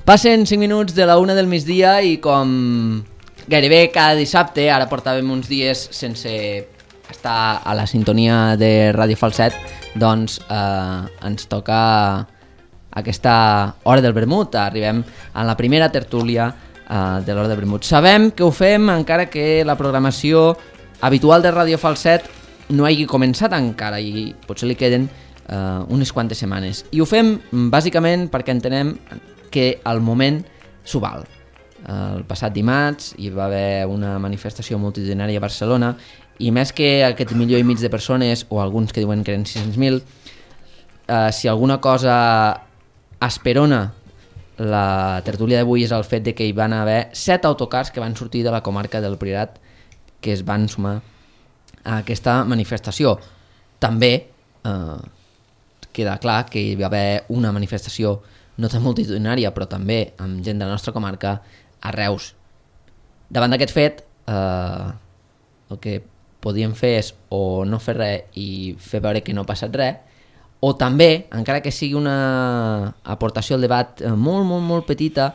Passen 5 minuts de la 1 del migdia i com gairebé cada dissabte, ara portàvem uns dies sense estar a la sintonia de Ràdio Falset, doncs ens toca aquesta hora del vermut. Arribem a la primera tertúlia de l'hora del vermut. Sabem que ho fem encara que la programació habitual de Ràdio Falset no hagi començat encara i potser li queden unes quantes setmanes. I ho fem bàsicament perquè entenem que al moment s'ho val. El passat dimarts hi va haver una manifestació multitudinària a Barcelona i més que aquest 1,5 milió de persones, o alguns que diuen que eren 600.000, si alguna cosa esperona la tertúlia d'avui és el fet de que hi van haver 7 autocars que van sortir de la comarca del Priorat que es van sumar a aquesta manifestació. També queda clar que hi va haver una manifestació no tan multitudinària, però també amb gent de la nostra comarca a Reus. Davant d'aquest fet, el que podíem fer és o no fer res i fer veure que no ha passat res, o també, encara que sigui una aportació al debat molt, molt, molt petita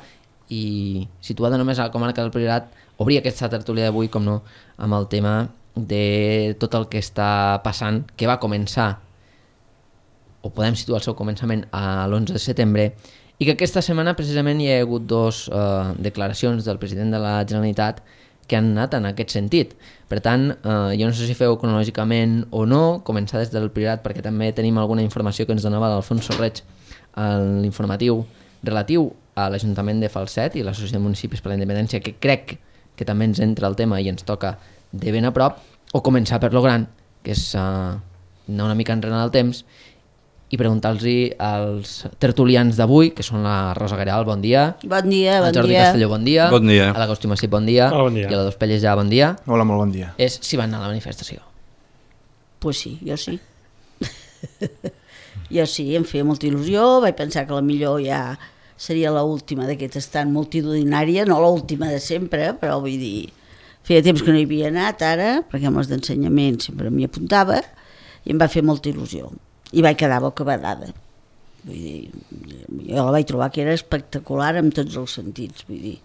i situada només a la comarca del Priorat, obrir aquesta tertúlia d'avui, com no, amb el tema de tot el que està passant, que va començar o podem situar el seu començament a l'11 de setembre, i que aquesta setmana precisament hi ha hagut 2 declaracions del president de la Generalitat que han anat en aquest sentit. Per tant, jo no sé si feu cronològicament o no, començar des del Priorat, perquè també tenim alguna informació que ens donava l'Alfonso Reig en l'informatiu relatiu a l'Ajuntament de Falset i l'Associació de Municipis per la Independència, que crec que també ens entra el tema i ens toca de ben a prop, o començar per lo gran, que és anar una mica enrere el temps, i preguntar-los als tertulians d'avui, que són la Rosa Garal, bon dia. Bon dia, bon dia. Al Jordi Castelló, bon dia. Bon dia. A l'Agustí Massip, bon dia. Hola, bon dia. I a la Dos Pelles, ja, bon dia. Hola, molt bon dia. És si van anar a la manifestació. Pues sí, jo sí. Jo sí, em feia molta il·lusió, vaig pensar que la millor ja seria l'última d'aquest estant multitudinària, no l'última de sempre, però vull dir, feia temps que no hi havia anat ara, perquè amb els d'ensenyament sempre m'hi apuntava, i em va fer molta il·lusió. I vaig quedar bocabadada. Vull dir, jo la vaig trobar que era espectacular en tots els sentits, vull dir,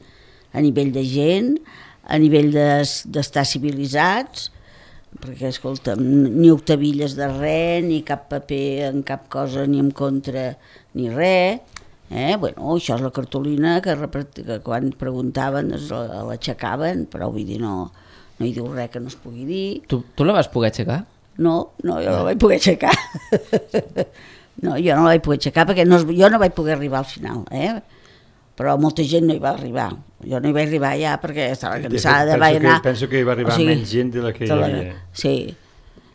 a nivell de gent, a nivell d'estar civilitzats, perquè, escolta, ni octavilles de res, ni cap paper en cap cosa, ni en contra, ni res. Bueno, això és la cartolina que quan preguntaven l'aixecaven, però vull dir, no hi diu res que no es pugui dir. Tu la vas poder aixecar? No, jo no la vaig poder aixecar. No, jo no la vaig poder aixecar perquè jo no vaig poder arribar al final, però molta gent no hi va arribar. Jo no hi vaig arribar ja perquè estava cansada. Penso que hi va arribar menys gent de la que hi havia. Sí.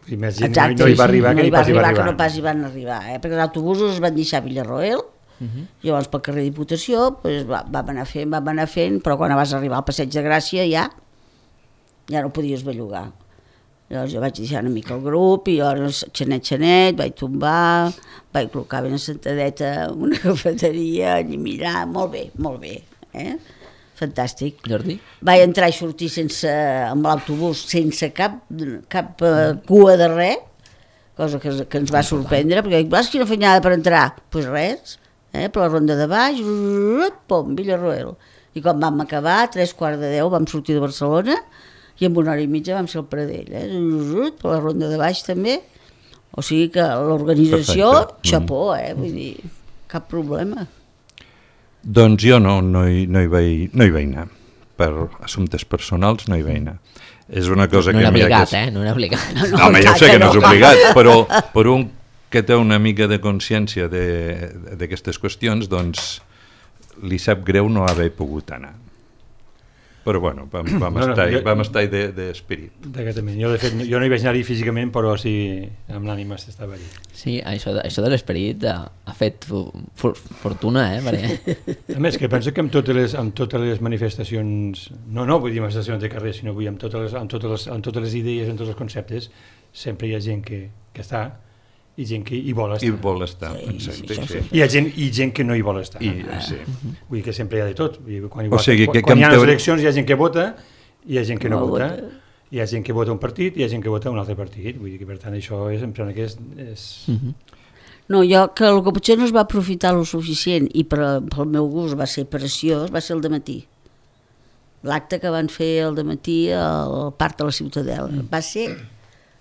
I més gent no hi va arribar que no pas hi van arribar, perquè els autobusos es van deixar a Villarroel, llavors pel carrer Diputació vam anar fent, però quan vas arribar al Passeig de Gràcia ja no podies bellugar. Llavors jo vaig deixar una mica el grup i llavors xanet, vaig tombar, vaig col·locar ben assentadeta en una cafeteria, i mirar, molt bé, fantàstic. Jordi? Vaig entrar i sortir amb l'autobús sense cap cua de res, cosa que ens va sorprendre, perquè dic, quina feinada per entrar? Doncs res, per la ronda de baix, pom, Villarroel. I quan vam acabar, 9:45, vam sortir de Barcelona, i en 1 hora i mitja vam ser al Pradell, per la ronda de baix també, o sigui que l'organització, xapó, vull dir, cap problema. Doncs jo no hi vaig anar, per assumptes personals no hi vaig anar. És una cosa no que... era obligat, no era obligat. No, home, jo sé que no és obligat, però per un que té una mica de consciència d'aquestes qüestions, doncs li sap greu no haver pogut anar. Però bueno, vam estar d'esperit. Jo, de fet, jo no hi vaig anar-hi físicament, però sí, amb l'ànima s'estava allà. Sí, això de l'esperit ha fet fortuna, perquè... A més, que penso que amb totes les manifestacions, no vull dir manifestacions de carrer, sinó vull amb totes les idees, en tots els conceptes, sempre hi ha gent que està i gent que hi vol estar. I vol estar, exacte. Sí. I gent que no hi vol estar. Sí. Vull dir que sempre hi ha de tot. Quan hi ha les eleccions hi ha gent que vota, hi ha gent que no vota. Hi ha gent que vota un partit i hi ha gent que vota un altre partit. Vull dir que per tant això em sembla que és... No, jo, que el que potser no es va aprofitar lo suficient i pel meu gust va ser preciós, va ser el dematí. L'acte que van fer el dematí al Parc de la Ciutadella. Va ser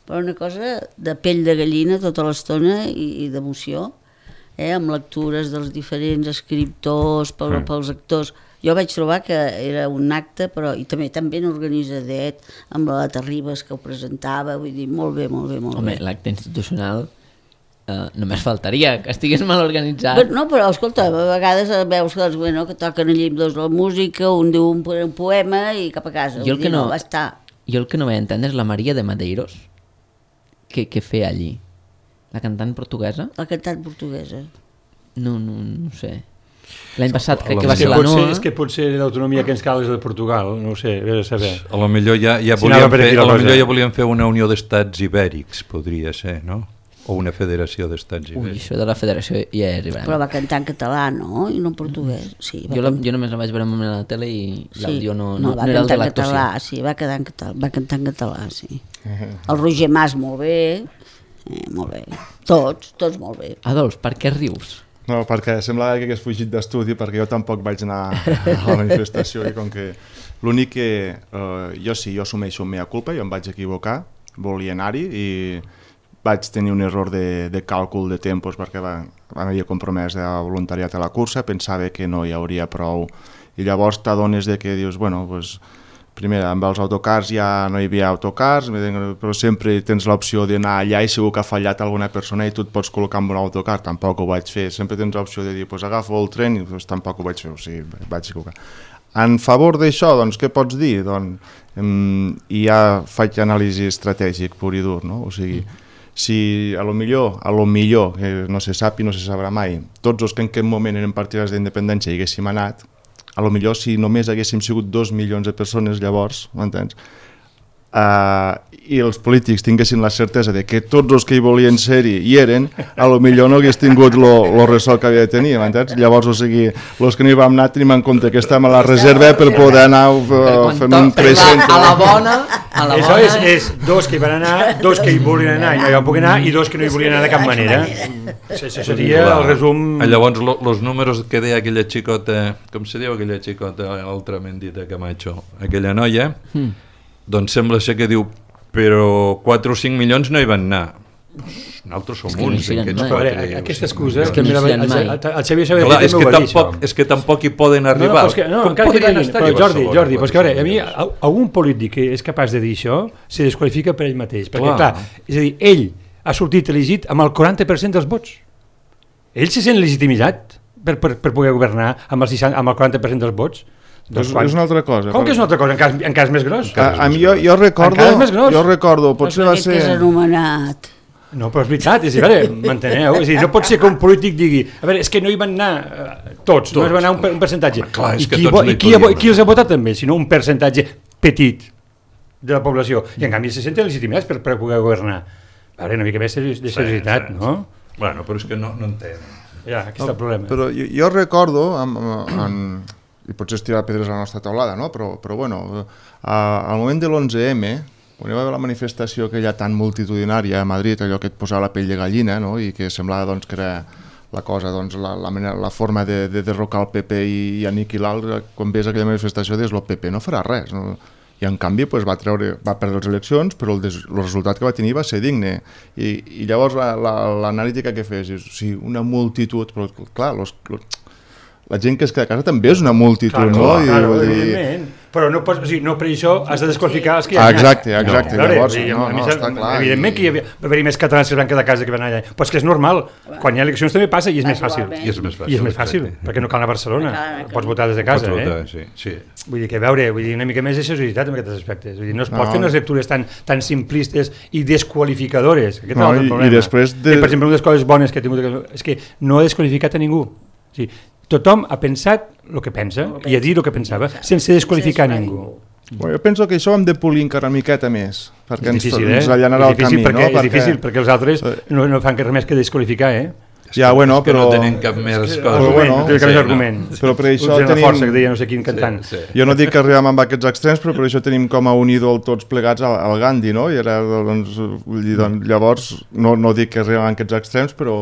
una cosa de pell de gallina tota l'estona i d'emoció, amb lectures dels diferents escriptors, pels actors. Jo vaig trobar que era un acte, però i també tan ben organitzadet, amb la Terribas que ho presentava, vull dir, molt bé. Home, l'acte institucional només faltaria que estigués mal organitzat. No, però escolta, a vegades veus que toquen allí dos la música, un diu un poema i cap a casa. Jo el que no va estar. Jo el que no vaig entendre és la Maria de Madeiros, què feia allí? La cantant portuguesa? La cantant portuguesa. No sé. L'any passat crec que va ser la Noa. És que potser l'autonomia que ens cal és de Portugal, no ho sé, vés a saber. A lo millor ja volien fer una unió d'estats ibèrics, podria ser, no? O una federació d'estats ibèrics. Ui, això de la federació ja és arribarem. Però va cantar en català, no? I no en portuguès. Sí, jo només la vaig veure a la tele i l'àudio no era el de l'actuació. Sí, va cantar en català, sí. El Roger Mas, molt bé. Molt bé. Tots molt bé. Adolf, per què rius? No, perquè sembla que hagués fugit d'estudi, perquè jo tampoc vaig anar a la manifestació i com que l'únic que jo assumeixo mea culpa, jo em vaig equivocar, volia anar-hi i vaig tenir un error de càlcul de tempos perquè m'havia compromès de voluntariat a la cursa, pensava que no hi hauria prou i llavors t'adones de que dius, bueno, pues, primer amb els autocars ja no hi havia autocars, però sempre tens l'opció d'anar allà i segur que ha fallat alguna persona i tu et pots col·locar amb un autocar, tampoc ho vaig fer, sempre tens l'opció de dir, pues agafo el tren i pues, tampoc ho vaig fer, o sigui, vaig equivocar. En favor d'això, doncs, què pots dir? Doncs, ja faig anàlisi estratègic pur i dur, no? O sigui, si a lo millor, que no se sap i no se sabrà mai, tots els que en aquest moment eren partidaris d'independència hi haguéssim anat, a lo millor si només haguéssim sigut 2 milions de persones llavors, m'entens? I els polítics tinguessin la certesa de que tots els que hi volien ser-hi hi eren, a lo millor no hagués tingut lo ressò que havia de tenir, m'entens? Llavors, o sigui, els que no hi vam anar tenim en compte que estem a la reserva per poder anar fent un present. A la bona... Això és 2 que hi van anar, 2 que hi volien anar i no hi van poder anar i 2 que no hi volien anar de cap manera. Això seria el resum... Llavors, els números que deia aquella xicota, com se diu aquella xicota altrament dita Camacho, aquella noia, doncs sembla ser que diu, però 4 o 5 milions no hi van anar. Nosaltres som uns. Aquesta excusa... El Xavier Sabater també ho va dir, això. És que tampoc hi poden arribar. Encara que diguin, però Jordi, però és que a mi, algun polític que és capaç de dir això, se desqualifica per ell mateix. Perquè, clar, és a dir, ell ha sortit elegit amb el 40% dels vots. Ell se sent legitimitat per poder governar amb el 40% dels vots. És una altra cosa. Com que és una altra cosa? En cas més gros? A mi jo recordo, potser va ser... És anomenat. No, però és veritat, m'enteneu? És a dir, no pot ser que un polític digui, a veure, és que no hi van anar tots, no hi van anar un percentatge. I qui els ha votat també, sinó un percentatge petit de la població. I en canvi se senten legitimats per poder governar. A veure, una mica més de seriositat, no? Bueno, però és que no entenc. Ja, aquí està el problema. Però jo recordo, i potser estirar pedres a la nostra taulada, no? Però bueno, al moment de l'11M, quan hi va haver la manifestació aquella tan multitudinària a Madrid, allò que et posava la pell de gallina, no? I que semblava doncs, que era la cosa, doncs, la forma de derrocar el PP i aniquilar, quan ves aquella manifestació dius, el PP no farà res, no? I en canvi va perdre les eleccions, però el resultat que va tenir va ser digne. I llavors l'analítica que fes és, sí, una multitud, però clar, la gent que es queda a casa també és una multitud, no? Claro, evidentment. Però no per això has de desqualificar els que hi ha anat. Exacte. Llavors, està clar. Evidentment que hi va haver més catalans que van quedar a casa que van allà. Però és que és normal. Quan hi ha eleccions també passa i és més fàcil. I és més fàcil, perquè no cal anar a Barcelona. Pots votar des de casa, sí. Vull dir que, una mica més de seriositat en aquests aspectes. Vull dir, no es pot fer unes lectures tan simplistes i desqualificadores. Aquest és el problema. Per exemple, una de les coses bones que he tingut és que no ha desqualificat a ningú. Tothom ha pensat el que pensa i ha dit el que pensava, sense desqualificar ningú. Jo penso que això hem de polir encara una miqueta més, perquè ens allanarà el camí. És difícil, perquè els altres no fan res més que desqualificar, Ja, bueno, però... no tenen cap més cosa. Però per això tenim... força, que deia no sé quin cantant. Jo no dic que arribem amb aquests extrems, però per això tenim com a un ídol tots plegats al Gandhi, no? I era, llavors, no dic que arribem amb aquests extrems, però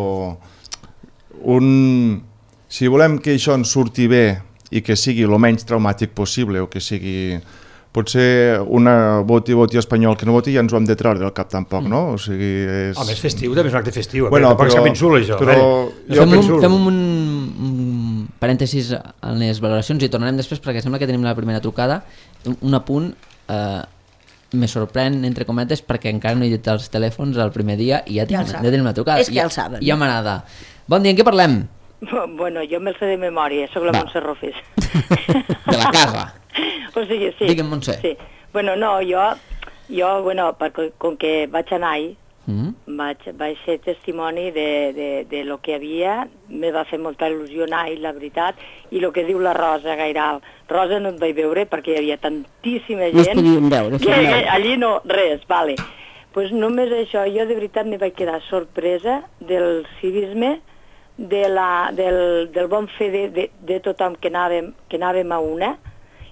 si volem que això ens surti bé i que sigui el menys traumàtic possible, o que sigui potser una voti espanyol que no voti ja ens ho hem de treure del cap tampoc, no? O sigui, és... Home, és festiu, també és un acte festiu. Bueno, tampoc és cap insult, això. Fem un parèntesis en les valoracions i tornarem després perquè sembla que tenim la primera trucada. Un apunt, me sorprèn, entre cometes, perquè encara no he dit els telèfons el primer dia i ja tenim la trucada. És que ja el saben. Ja m'agrada. Bon dia, en què parlem? Bueno, jo me'l sé de memòria, soc la Montse Rofes. De la casa. O sigui, sí. Digue'm, Montse. Sí. Bueno, no, jo bueno, perquè, com que vaig anar-hi, vaig ser testimoni de lo que hi havia, me va fer molta il·lusió anar-hi, la veritat, i el que diu la Rosa Gairal. Rosa no et vaig veure perquè hi havia tantíssima gent... No es podien veure. Que allí no, res, vale. Pues només això, jo de veritat me vaig quedar sorpresa del civisme, del bon fer de tothom que anàvem a una.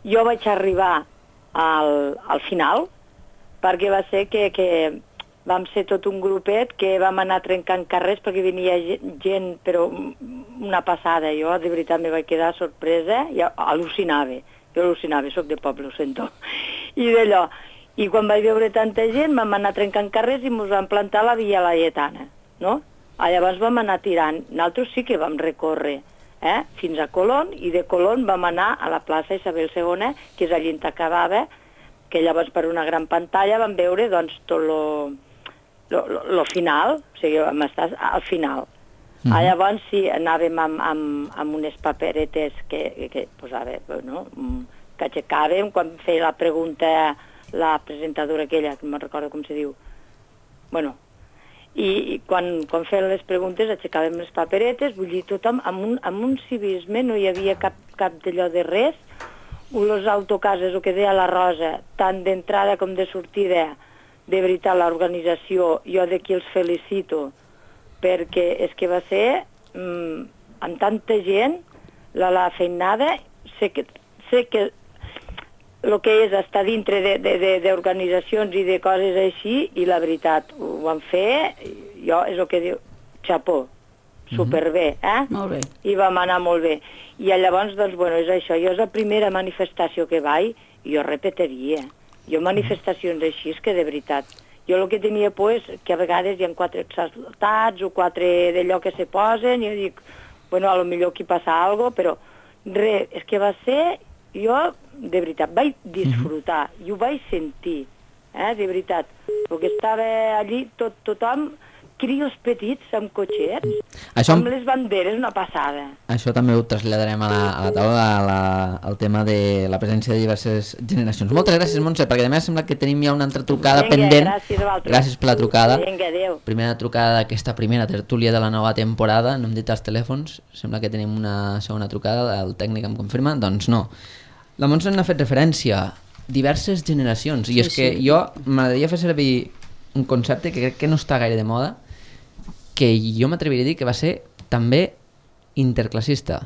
Jo vaig arribar al final, perquè va ser que vam ser tot un grupet que vam anar trencant carrers perquè venia gent, però una passada. Jo de veritat me vaig quedar sorpresa i al·lucinava. Jo al·lucinava, soc de poble, ho sento. I d'allò, i quan vaig veure tanta gent vam anar trencant carrers i ens vam plantar a la Via Laietana, no? Llavors vam anar tirant. Nosaltres sí que vam recórrer fins a Colón, i de Colón vam anar a la plaça Isabel II, que és allí on acabava, que llavors per una gran pantalla vam veure doncs, tot lo final, o sigui, vam estar al final. Llavors sí, anàvem amb unes paperetes que posava, no? Que aixecàvem quan feia la pregunta la presentadora aquella, que no recordo com se diu. Bueno, i quan feien les preguntes aixecàvem les paperetes, vull dir, tothom amb un civisme, no hi havia cap d'allò de res. Els autocases, el que deia la Rosa, tant d'entrada com de sortida, de veritat, l'organització, jo d'aquí els felicito, perquè és que va ser, amb tanta gent, la feinada, sé que el que és estar dintre d'organitzacions i de coses així, i la veritat, ho van fer, jo és el que diu, xapó, superbé, Molt bé. I vam anar molt bé. I llavors, doncs, bueno, és això, jo és la primera manifestació que vaig, i jo repetiria. Jo manifestacions així, és que de veritat, jo el que tenia por és que a vegades hi ha 4 exaltats o 4 d'allò que se posen, i jo dic, bueno, a lo millor aquí passa alguna cosa, però res, és que va ser... Jo, de veritat, vaig disfrutar, i ho vaig sentir, de veritat, perquè estava allí tothom, crios petits amb cotxets, amb les banderes, una passada. Això també ho traslladarem a la taula, al tema de la presència de diverses generacions. Moltes gràcies, Montse, perquè a més sembla que tenim ja una altra trucada pendent. Gràcies a vosaltres. Gràcies per la trucada. Vinga, adéu. Primera trucada d'aquesta primera tertúlia de la nova temporada, no hem dit els telèfons, sembla que tenim una segona trucada, el tècnic em confirma, doncs no. La Montse n'ha fet referència, diverses generacions, i és que jo m'agradaria fer servir un concepte que crec que no està gaire de moda, que jo m'atreviria a dir que va ser també interclassista,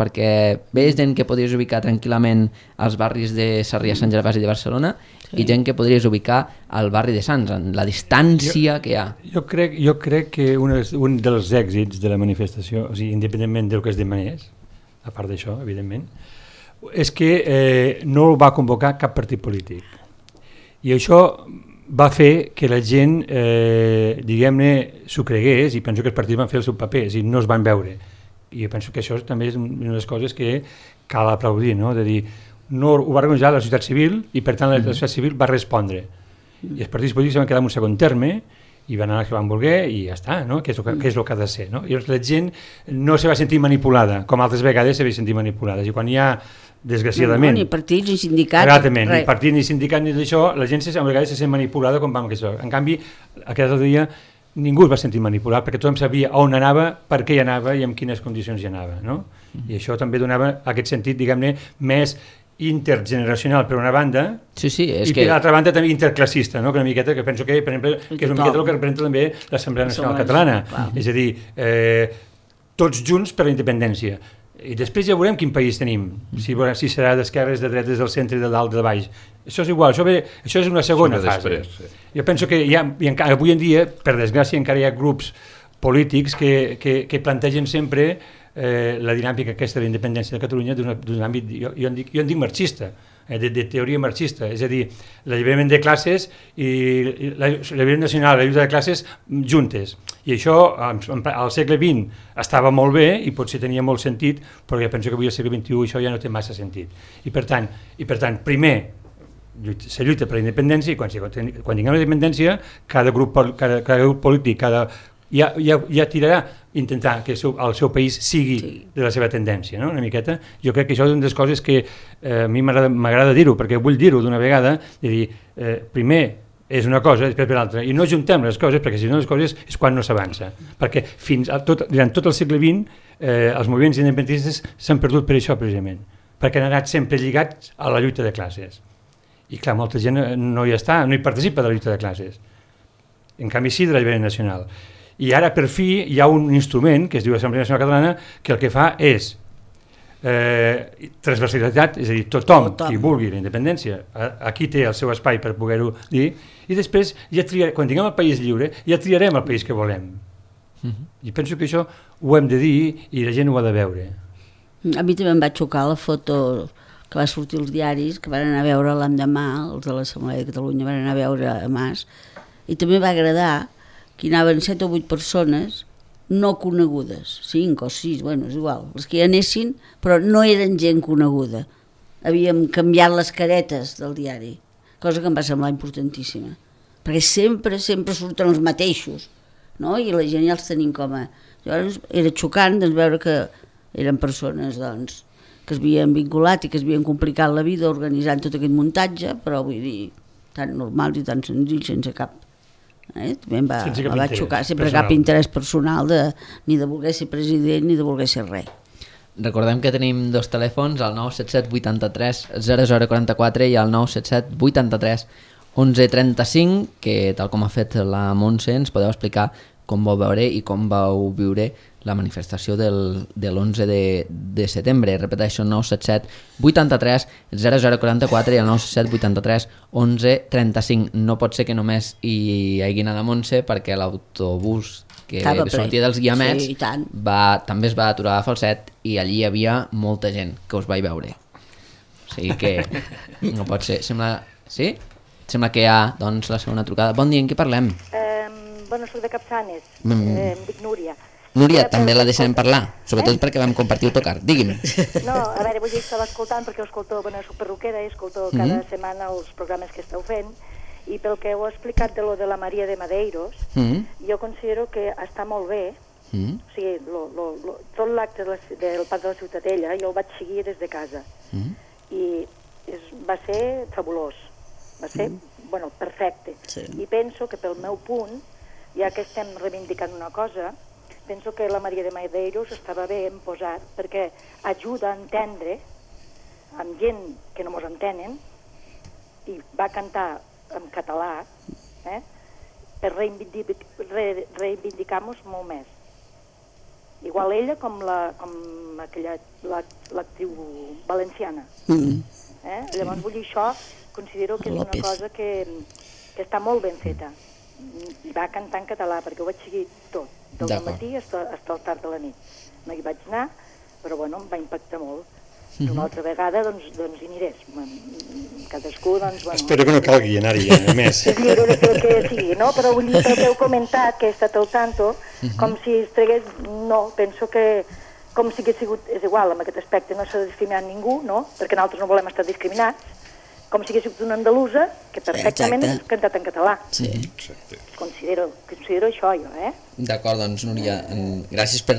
perquè veus gent que podries ubicar tranquil·lament als barris de Sarrià, Sant Gervasi i de Barcelona, i gent que podries ubicar al barri de Sants, en la distància que hi ha. Jo crec que un dels èxits de la manifestació, o sigui, independentment del que es demanés, a part d'això, evidentment, és que no el va convocar cap partit polític. I això va fer que la gent, diguem-ne, s'ho cregués, i penso que els partits van fer el seu paper, és a dir, no es van veure. I jo penso que això també és una de les coses que cal aplaudir, no? De dir, no ho va organitzar la societat civil, i per tant la societat civil va respondre. I els partits polítics van quedar en un segon terme, i van anar els que van voler i ja està, no? Que és el que ha de ser, no? I la gent no se va sentir manipulada, com altres vegades se va sentir manipulada. I quan hi ha, desgraciadament... No, ni partits, ni sindicats... Exactament, ni partits, ni sindicats, ni d'això, la gent a vegades se sent manipulada com vam que això. En canvi, aquest altre dia ningú es va sentir manipulat, perquè tothom sabia on anava, per què hi anava i en quines condicions hi anava, no? I això també donava aquest sentit, diguem-ne, més intergeneracional per una banda, i per l'altra banda també interclassista, no? Que una miqueta, que penso que, per exemple, que és una miqueta el que representa també l'Assemblea Nacional Catalana, és a dir, tots junts per la independència. I després ja veurem quin país tenim, si serà d'esquerres, de dretes, del centre, de dalt, de baix. Això és igual, això és una segona fase. Jo penso que avui en dia, per desgràcia, encara hi ha grups polítics que plantegen sempre la dinàmica aquesta de la independència de Catalunya d'un àmbit, jo en dic marxista, de teoria marxista, és a dir, l'alliberament de classes i l'alliberament nacional, la lluita de classes juntes. I això al segle XX estava molt bé i potser tenia molt sentit, però jo penso que avui al segle XXI això ja no té massa sentit. I per tant, primer se lluita per la independència i quan tinguem la independència cada grup polític ja tirarà intentar que el seu país sigui de la seva tendència, no? Una miqueta. Jo crec que això és una de les coses que a mi m'agrada dir-ho, perquè vull dir-ho d'una vegada, de dir, primer és una cosa, després per l'altra, i no juntem les coses, perquè si no les coses és quan no s'avança. Perquè durant tot el segle XX els moviments independentistes s'han perdut per això, precisament, perquè han anat sempre lligats a la lluita de classes. I clar, molta gent no hi està, no hi participa de la lluita de classes. En canvi sí de l'alliberament nacional. I ara per fi hi ha un instrument que es diu Assemblea Nacional Catalana que el que fa és transversalitat, és a dir, tothom qui vulgui la independència, aquí té el seu espai per poder-ho dir, i després ja quan tinguem el país lliure ja triarem el país que volem. I penso que això ho hem de dir i la gent ho ha de veure. A mi també em va xocar la foto que va sortir als diaris, que van anar a veure l'endemà, els de l'Assemblea de Catalunya van anar a veure a Mas, i també va agradar que hi anaven 7 o 8 persones no conegudes, 5 o 6, bueno, és igual, els que hi anessin, però no eren gent coneguda. Havíem canviat les caretes del diari, cosa que em va semblar importantíssima, perquè sempre surten els mateixos, no? I la gent ja els tenim com a... Llavors era xocant veure que eren persones doncs, que es havien vinculat i que es havien complicat la vida organitzant tot aquest muntatge, però vull dir, tan normals i tan senzills, sense cap... També em va xocar, sempre personal. Cap interès personal ni de voler ser president ni de voler ser res. Recordem que tenim 2 telèfons, el 977 83 0044 i el 977 83 1135, que tal com ha fet la Montse ens podeu explicar com vau veure i com vau viure la manifestació del 11 de setembre. Repeteixo, 977 83 0044 i el 977 83 1135. No pot ser que només hi hagi anat a Montse, perquè l'autobús que sortia dels Guiamets també es va aturar a Falset i allí hi havia molta gent que us vaig veure. O sigui que no pot ser. Sí? Sembla que hi ha doncs, la segona trucada. Bon dia, en què parlem? Bueno, soc de Capçanes, em dic Núria. Núria, també la deixarem parlar, sobretot perquè vam compartir autocar. Digui'm. No, a veure, vull dir que estava escoltant, perquè soc perruquera i escolto cada setmana els programes que esteu fent, i pel que heu explicat de lo de la Maria de Madeiros, jo considero que està molt bé, o sigui, tot l'acte del Parc de la Ciutadella jo el vaig seguir des de casa, i va ser fabulós, va ser, bueno, perfecte, i penso que pel meu punt, ja que estem reivindicant una cosa, penso que la Maria de Madeiros estava bé en posar, perquè ajuda a entendre amb gent que no mos entenen, i va cantar en català, per reivindicar-nos molt més. Igual ella com l'actriu valenciana. Llavors vull dir, això considero que és una cosa que està molt ben feta. I va cantar en català, perquè ho vaig seguir tot, del matí fins al tard de la nit. No hi vaig anar, però bueno, em va impactar molt. Una altra vegada, doncs hi anirés. Cadascú, doncs, bueno... Espero que no calgui anar-hi, a més. Sí, que sí, no? Però vull dir que heu comentat que he estat al tanto, com si es tregués... No, penso que com si hagués sigut... És igual, en aquest aspecte no s'ha discriminat ningú, no? Perquè nosaltres no volem estar discriminats. Com si hagués sigut una andalusa que perfectament ha cantat en català. Sí. Considero això, jo, D'acord, doncs, Núria, gràcies per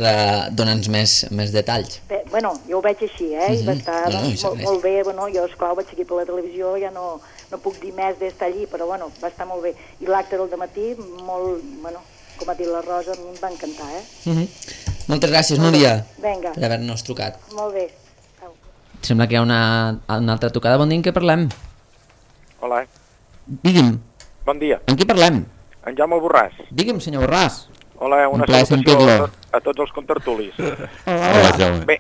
donar-nos més detalls. Bé, bueno, jo ho veig així, i va estar molt bé, bueno, jo, esclar, ho vaig seguir per la televisió, ja no puc dir més d'estar allí, però, bueno, va estar molt bé. I l'acte del dematí, molt, bueno, com ha dit la Rosa, a mi em va encantar, Moltes gràcies, Núria, per haver-nos trucat. Molt bé. Sembla que hi ha una altra trucada. Bon dia, en què parlem? Hola. Digui'm. Bon dia. En qui parlem? En Jaume Borràs. Digui'm, senyor Borràs. Hola, una salutació a tots els contertulis. Hola, Jaume. Bé,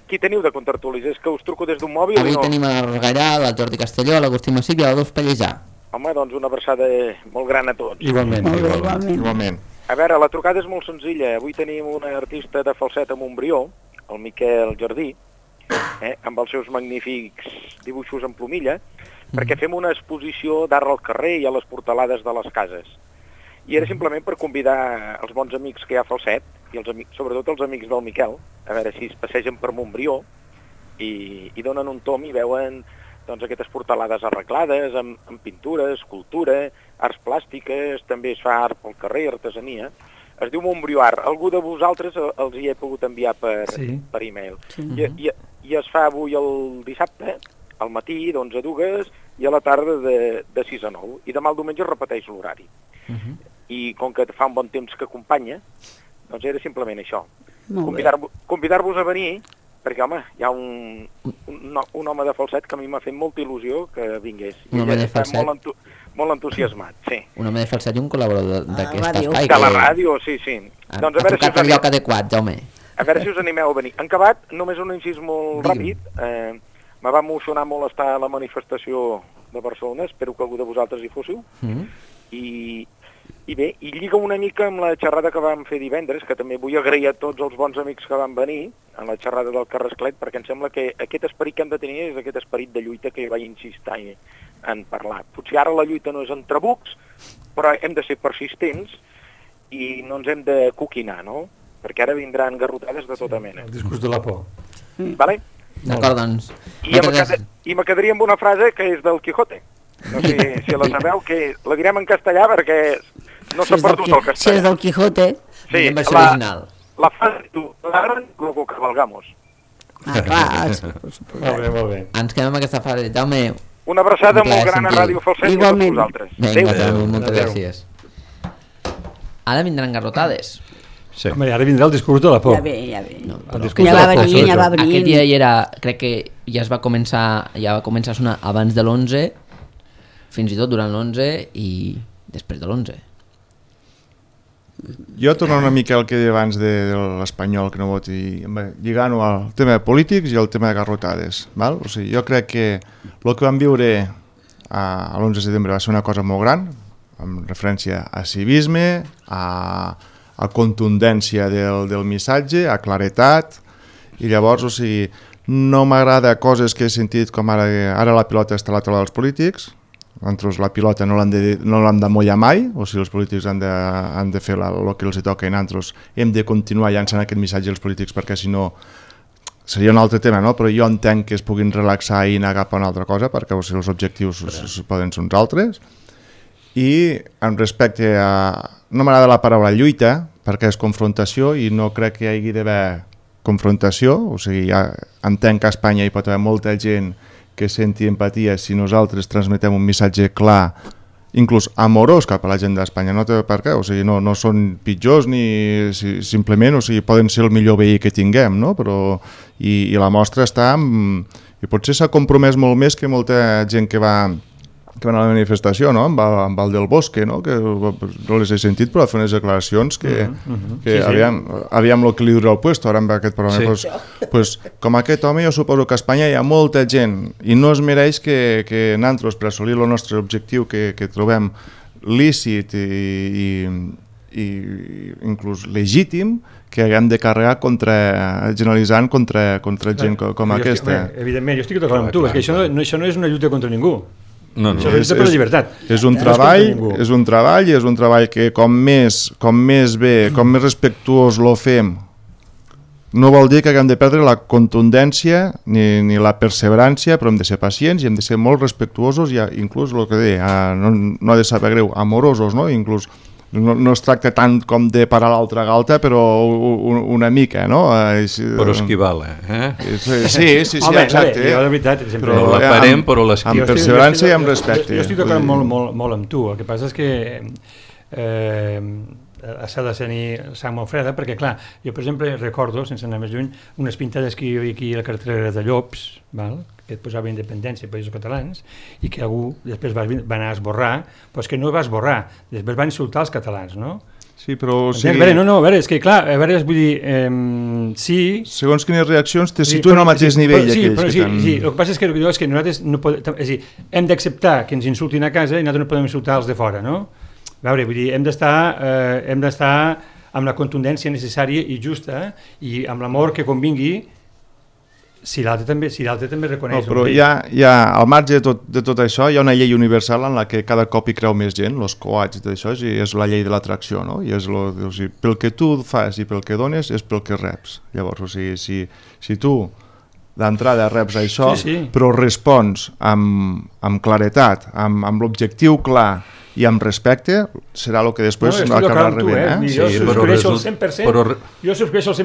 qui teniu de contertulis? És que us truco des d'un mòbil i no... Avui tenim el Gallà, el Jordi Castelló, l'Agustí Massip i l'Adolf Pallejà. Home, doncs una abraçada molt gran a tots. Igualment. A veure, la trucada és molt senzilla. Avui tenim un artista de falset a Montbrió, el Miquel Jardí, amb els seus magnífics dibuixos en plomilla, perquè fem una exposició d'art al carrer i a les portalades de les cases. I era simplement per convidar els bons amics que hi ha a Falset, i sobretot els amics del Miquel, a veure si es passegen per Montbrió i donen un tom i veuen doncs, aquestes portalades arreglades, amb pintura, escultura, arts plàstiques, també es fa art pel carrer, artesania. Es diu Montbrió Art. Algú de vosaltres els hi he pogut enviar per e-mail. Sí. I es fa avui el dissabte, al matí, d'11 a 2, i a la tarda de 6 a 9. I demà el diumenge es repeteix l'horari. I com que fa un bon temps que acompanya, doncs era simplement això. Convidar-vos a venir, perquè, home, hi ha un home de falset que a mi m'ha fet molta il·lusió que vingués. Un home de falset? Molt entusiasmat, sí. Un home de falset i un col·laborador d'aquest espai. De la ràdio, sí. Doncs ha trucat el lloc adequat, Jaume. A veure si us animeu a venir. En acabat, només un incís molt ràpid. Me va emocionar molt estar a la manifestació de Barcelona, espero que algú de vosaltres hi fóssiu. I bé, i lliga una mica amb la xerrada que vam fer divendres, que també vull agrair a tots els bons amics que van venir a la xerrada del Carrasclet, perquè em sembla que aquest esperit que hem de tenir és aquest esperit de lluita que jo vaig insistir en parlar. Potser ara la lluita no és en trabucs, però hem de ser persistents i no ens hem de coquinar, no? Perquè ara vindran garrotades de tota mena. El discurs de la por. Vale? D'acord, doncs. I me quedaria amb una frase que és del Quijote. No sé si la sabeu, que la direm en castellà perquè no s'ha perdut el castellà. Si és del Quijote. Sí, la frase tu, luego cabalgamos. Clar. Molt bé. Ens quedem amb aquesta frase. Jaume, una abraçada molt gran a Ràdio Falset i a tots vosaltres. Vinga, Jaume, moltes gràcies. Ara vindran garrotades. Sí. Home, ara vindrà el discurs de la por. Ja ve. No, ja va venint. Aquest dia hi era, crec que ja va començar a sonar abans de l'11, fins i tot durant l'11 i després de l'11. Jo torno una mica al que deia abans de l'Espanyol que no voti, lligant-ho al tema de polítics i al tema de garrotades. Val? O sigui, jo crec que el que vam viure a l'11 de setembre va ser una cosa molt gran, amb referència a civisme, a contundència del missatge, a claretat, i llavors, o sigui, no m'agrada coses que he sentit com ara la pilota està a la taula dels polítics. Nosaltres la pilota no l'hem de mollar mai, o sigui, els polítics han de fer el que els toca i nosaltres hem de continuar llançant aquest missatge als polítics perquè si no seria un altre tema, no? Però jo entenc que es puguin relaxar i anar cap a una altra cosa perquè o sigui, els objectius poden ser uns altres. I en respecte a... no m'agrada la paraula lluita perquè és confrontació i no crec que hi hagi d'haver confrontació, o sigui, ja entenc que a Espanya hi pot haver molta gent que senti empatia si nosaltres transmetem un missatge clar, inclús amorós cap a la gent d'Espanya, no té per què, o sigui, no són pitjors ni simplement, o sigui, poden ser el millor veí que tinguem, no? Però, i la mostra està i potser s'ha compromès molt més que molta gent que va a la manifestació, no? Amb el del Bosque, no? Que no les he sentit, però fer unes declaracions que aviam el que li dura el puesto, ara amb aquest programa. Sí. Pues, com aquest home, jo suposo que a Espanya hi ha molta gent i no es mereix que nosaltres, per assolir el nostre objectiu que trobem lícit i inclús legítim, que haguem de carregar generalitzant contra gent com aquesta. Evidentment, jo estic d'acord amb tu, perquè això no és una lluita contra ningú. No. És un treball que com més bé, com més respectuós lo fem, no vol dir que haguem de perdre la contundència ni la perseverància, però hem de ser pacients i hem de ser molt respectuosos i inclús el que deia, no ha de saber greu, amorosos, no? Inclús no es tracta tant com de parar l'altra galta, però una mica, no? Però esquivar-la, Sí, exacte. Jo de veritat, però la parem, però l'esquivar. Amb perseverança i amb respecte. Jo estic d'acord molt amb tu, el que passa és que s'ha de tenir sang molt freda, perquè clar, jo per exemple recordo, sense anar més lluny, unes pintades que hi havia aquí a la carretera de Llops, val? Que et posava independència als països catalans i que algú després va anar a esborrar, però és que no va esborrar, després va insultar els catalans, no? Sí, però... A veure, és que clar, vull dir, sí... Segons quines reaccions te situen al mateix nivell aquells que t'han... Sí, el que passa és que nosaltres no podem... És a dir, hem d'acceptar que ens insultin a casa i nosaltres no podem insultar els de fora, no? A veure, vull dir, hem d'estar amb la contundència necessària i justa i amb l'amor que convingui si l'altre també reconeix. No, però al marge de tot això hi ha una llei universal en la que cada cop hi creu més gent, els coats i tot això, i és la llei de l'atracció, no? I és pel que tu fas i pel que dones és pel que reps. Llavors, o sigui, si tu d'entrada reps això, però respons amb claretat, amb l'objectiu clar i amb respecte, serà el que després acabarà rebent. Jo subscrieixo al 100%.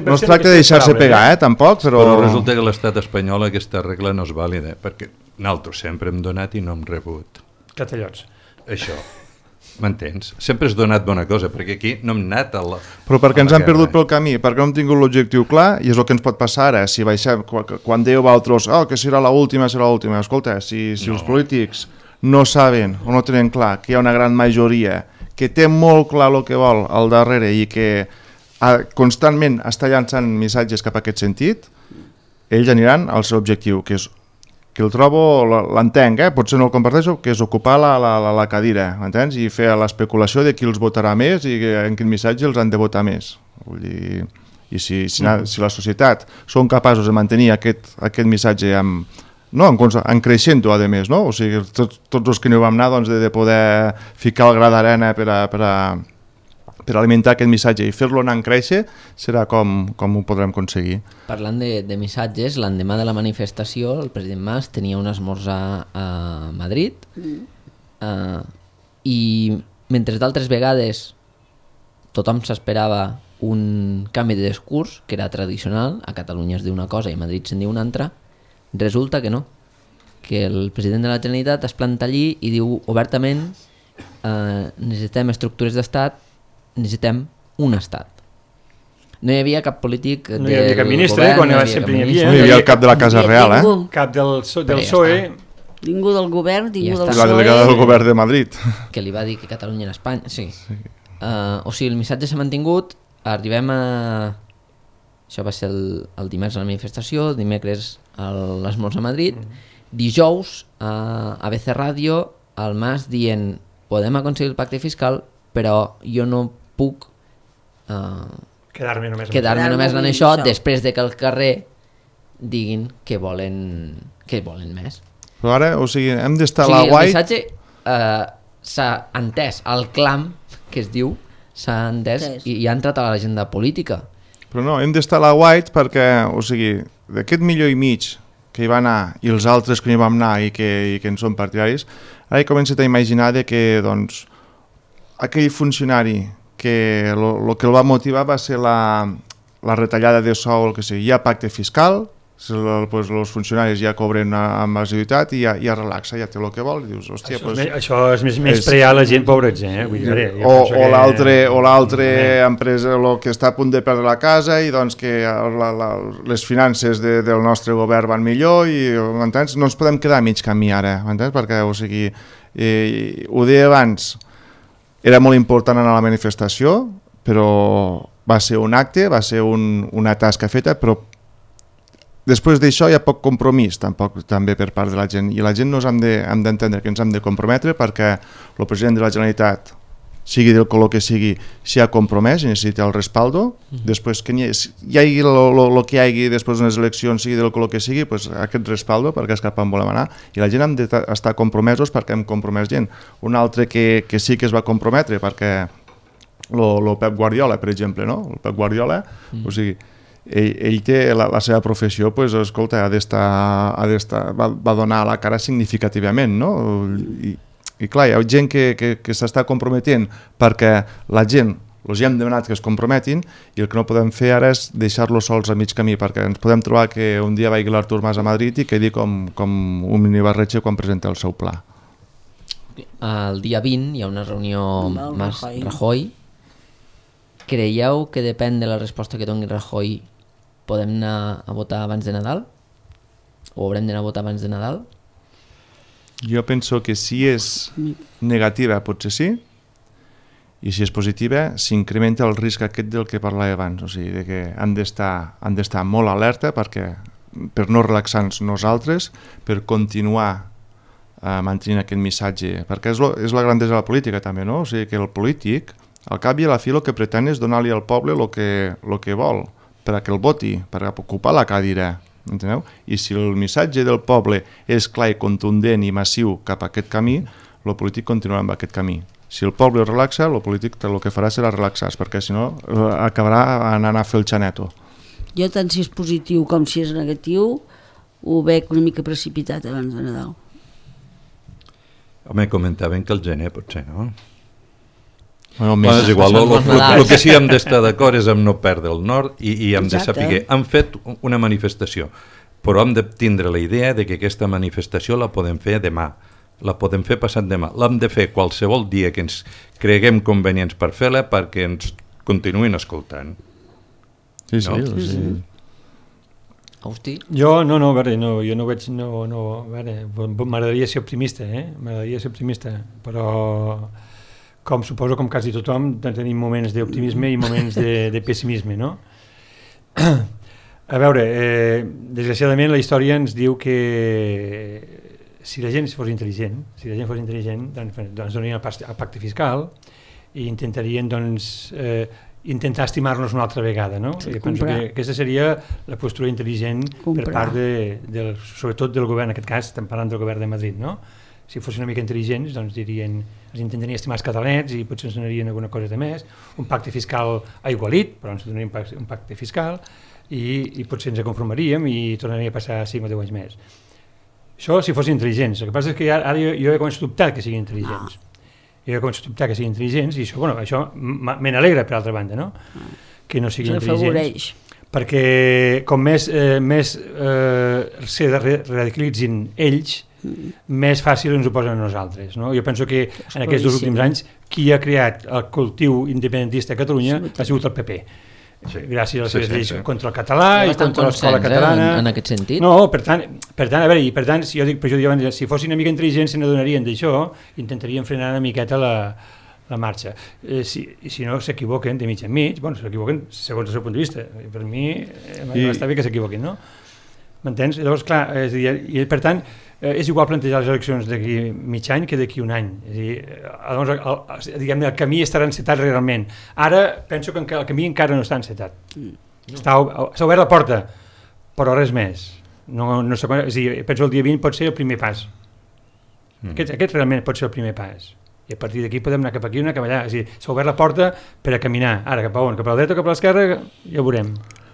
No es tracta de deixar-se pegar, tampoc, però resulta que l'estat espanyol aquesta regla no és vàlida, perquè nosaltres sempre hem donat i no hem rebut. Catallots. Això, m'entens? Sempre has donat bona cosa, perquè aquí no hem anat a la... Però perquè ens han perdut pel camí, perquè no hem tingut l'objectiu clar, i és el que ens pot passar ara. Si baixem, quan dèieu altres, que serà l'última, escolta, si els polítics no saben o no tenen clar que hi ha una gran majoria que té molt clar el que vol al darrere i que constantment està llançant missatges cap a aquest sentit, ells aniran al seu objectiu, que és que el trobo, l'entenc, potser no el comparteixo, que és ocupar la cadira, m'entens? I fer l'especulació de qui els votarà més i en quin missatge els han de votar més. Vull dir, i si la societat són capaços de mantenir aquest missatge en creixent-ho, a més, no? O sigui, tots els que no hi vam anar, doncs, de poder ficar el gra d'arena per alimentar aquest missatge i fer-lo anar en créixer, serà com ho podrem aconseguir. Parlant de missatges, l'endemà de la manifestació, el president Mas tenia un esmorzar a Madrid i mentre d'altres vegades tothom s'esperava un canvi de discurs, que era tradicional, a Catalunya es diu una cosa i a Madrid se'n diu una altra, resulta que no, que el president de la Generalitat es planta allí i diu obertament necessitem estructures d'estat, necessitem un estat. No hi havia cap polític no hi havia cap ministre, quan sempre no hi havia el cap de la Casa Real, cap del PSOE, ningú del govern, ningú del PSOE, la delegada del govern de Madrid, que li va dir que Catalunya era Espanya. O sigui, el missatge s'ha mantingut. Arribem a... Això va ser el dimarts a la manifestació, dimecres a l'esmorzar a Madrid, dijous a ABC Ràdio, el Mas dient podem aconseguir el pacte fiscal, però jo no puc quedar-me només en això, després de que al carrer diguin que volen més. Però ara, o sigui, hem d'estar a la guai... El missatge s'ha entès, el clam, que es diu, s'ha entès i ha entrat a l'agenda política. Però no, hem d'estar a la White perquè, o sigui, d'aquest 1,5 milió que hi va anar i els altres que hi vam anar i que en són partidaris, ara he començat a imaginar que, doncs, aquell funcionari que el que el va motivar va ser la retallada de sou, el que sigui, hi ha pacte fiscal, els funcionaris ja cobren amb asiduïtat i ja relaxa, ja té el que vol i dius, hòstia, això és més prear la gent pobrets, o l'altre empresa que està a punt de perdre la casa i doncs que les finances del nostre govern van millor i m'entens? No ens podem quedar a mig camí ara, m'entens? Perquè, o sigui, ho deia abans, era molt important anar a la manifestació, però va ser un acte, va ser una tasca feta, però després d'això hi ha poc compromís també per part de la gent, i la gent nos hem d'entendre que ens hem de comprometre perquè el president de la Generalitat, sigui del color que sigui, s'hi ha compromès i necessita el respaldo. Després que hi hagi el que hi hagi després d'unes eleccions, sigui del color que sigui, pues, aquest respaldo, perquè és cap on volem anar, i la gent hem d'estar compromesos perquè hem compromès gent. Un altre que sí que es va comprometre, perquè el Pep Guardiola, per exemple, no? El Pep Guardiola, o sigui, ell té la seva professió, pues, escolta, va donar la cara significativament, no? I clar, hi ha gent que s'està comprometent perquè la gent els hem demanat que es comprometin i el que no podem fer ara és deixar-los sols a mig camí, perquè ens podem trobar que un dia vagi l'Artur Mas a Madrid i quedi com un minibarretxe quan presenta el seu pla. El dia 20 hi ha una reunió Mas-Rajoy. Creieu que depèn de la resposta que doni Rajoy podem anar a votar abans de Nadal? O haurem d'anar a votar abans de Nadal? Jo penso que si és negativa potser sí, i si és positiva s'incrementa el risc aquest del que parlava abans, o sigui, de que han d'estar molt alerta per no relaxar-nos nosaltres, per continuar mantenint aquest missatge, perquè és la grandesa de la política també, no? O sigui que el polític, al cap i a la fi, el que pretén és donar-li al poble el que vol, perquè el voti, per ocupar la cadira, enteneu? I si el missatge del poble és clar i contundent i massiu cap a aquest camí, el polític continuarà amb aquest camí. Si el poble es relaxa, el polític el que farà serà relaxar-se, perquè si no acabarà anant a fer el xaneto. Jo, tant si és positiu com si és negatiu, ho veig una mica precipitat abans de Nadal. Home, comentaven que el gener potser, no? Bueno, és igual, el que sí hem d'estar d'acord és amb no perdre el nord i hem de saber. Han fet una manifestació, però hem de tindre la idea de que aquesta manifestació la podem fer demà, la podem fer passat demà, l'hem de fer qualsevol dia que ens creguem convenients per fer-la perquè ens continuïn escoltant. Sí. Hosti. Jo no veig, m'agradaria ser optimista, però com suposo com quasi tothom tenim moments d'optimisme i moments de pessimisme, no? A veure, desgraciadament la història ens diu que si la gent fos intel·ligent, doncs donarien el pacte fiscal i intentarien intentar estimar-nos una altra vegada, no? Sí, penso que aquesta seria la postura intel·ligent per part sobretot del govern, en aquest cas estem parlant del govern de Madrid, no? Si fossin una mica intel·ligents, doncs dirien, ens intentarien estimar els catalans i potser ens donarien alguna cosa de més, un pacte fiscal aigualit, però ens donarien un pacte fiscal i potser ens conformaríem i tornaria a passar 5 o 10 anys més. Això si fossin intel·ligents. El que passa és que ara jo he començat a dubtar que siguin intel·ligents. Jo he començat a dubtar que siguin intel·ligents i això me n'alegra per altra banda, no? Que no siguin intel·ligents. Perquè com més se radicalitzin ells, més fàcil ens ho posen a nosaltres, no? Jo penso que en aquests 2 últims anys qui ha creat el cultiu independentista a Catalunya ha sigut el PP. Gràcies a les seves lleis contra el català i contra l'escola catalana. En aquest sentit? No, per tant, a veure, si jo dic, si fossin una mica intel·ligents se n'adonarien d'això, intentarien frenar una miqueta la marxa. Si no s'equivoquen de mig en mig, s'equivoquen segons el seu punt de vista. Per mi està bé que s'equivoquin, no? M'entens? Llavors, clar, per tant, és igual plantejar les eleccions d'aquí mig any que d'aquí un any. És a dir, el camí estarà encetat realment. Ara penso que el camí encara no està encetat. S'ha obert la porta, però res més. És a dir, penso que el dia 20 pot ser el primer pas. Aquest realment pot ser el primer pas. I a partir d'aquí podem anar cap aquí, anar cap allà. És a dir, s'ha obert la porta per a caminar. Ara, cap a on? Cap a la dreta o cap a l'esquerra? Ja ho veurem.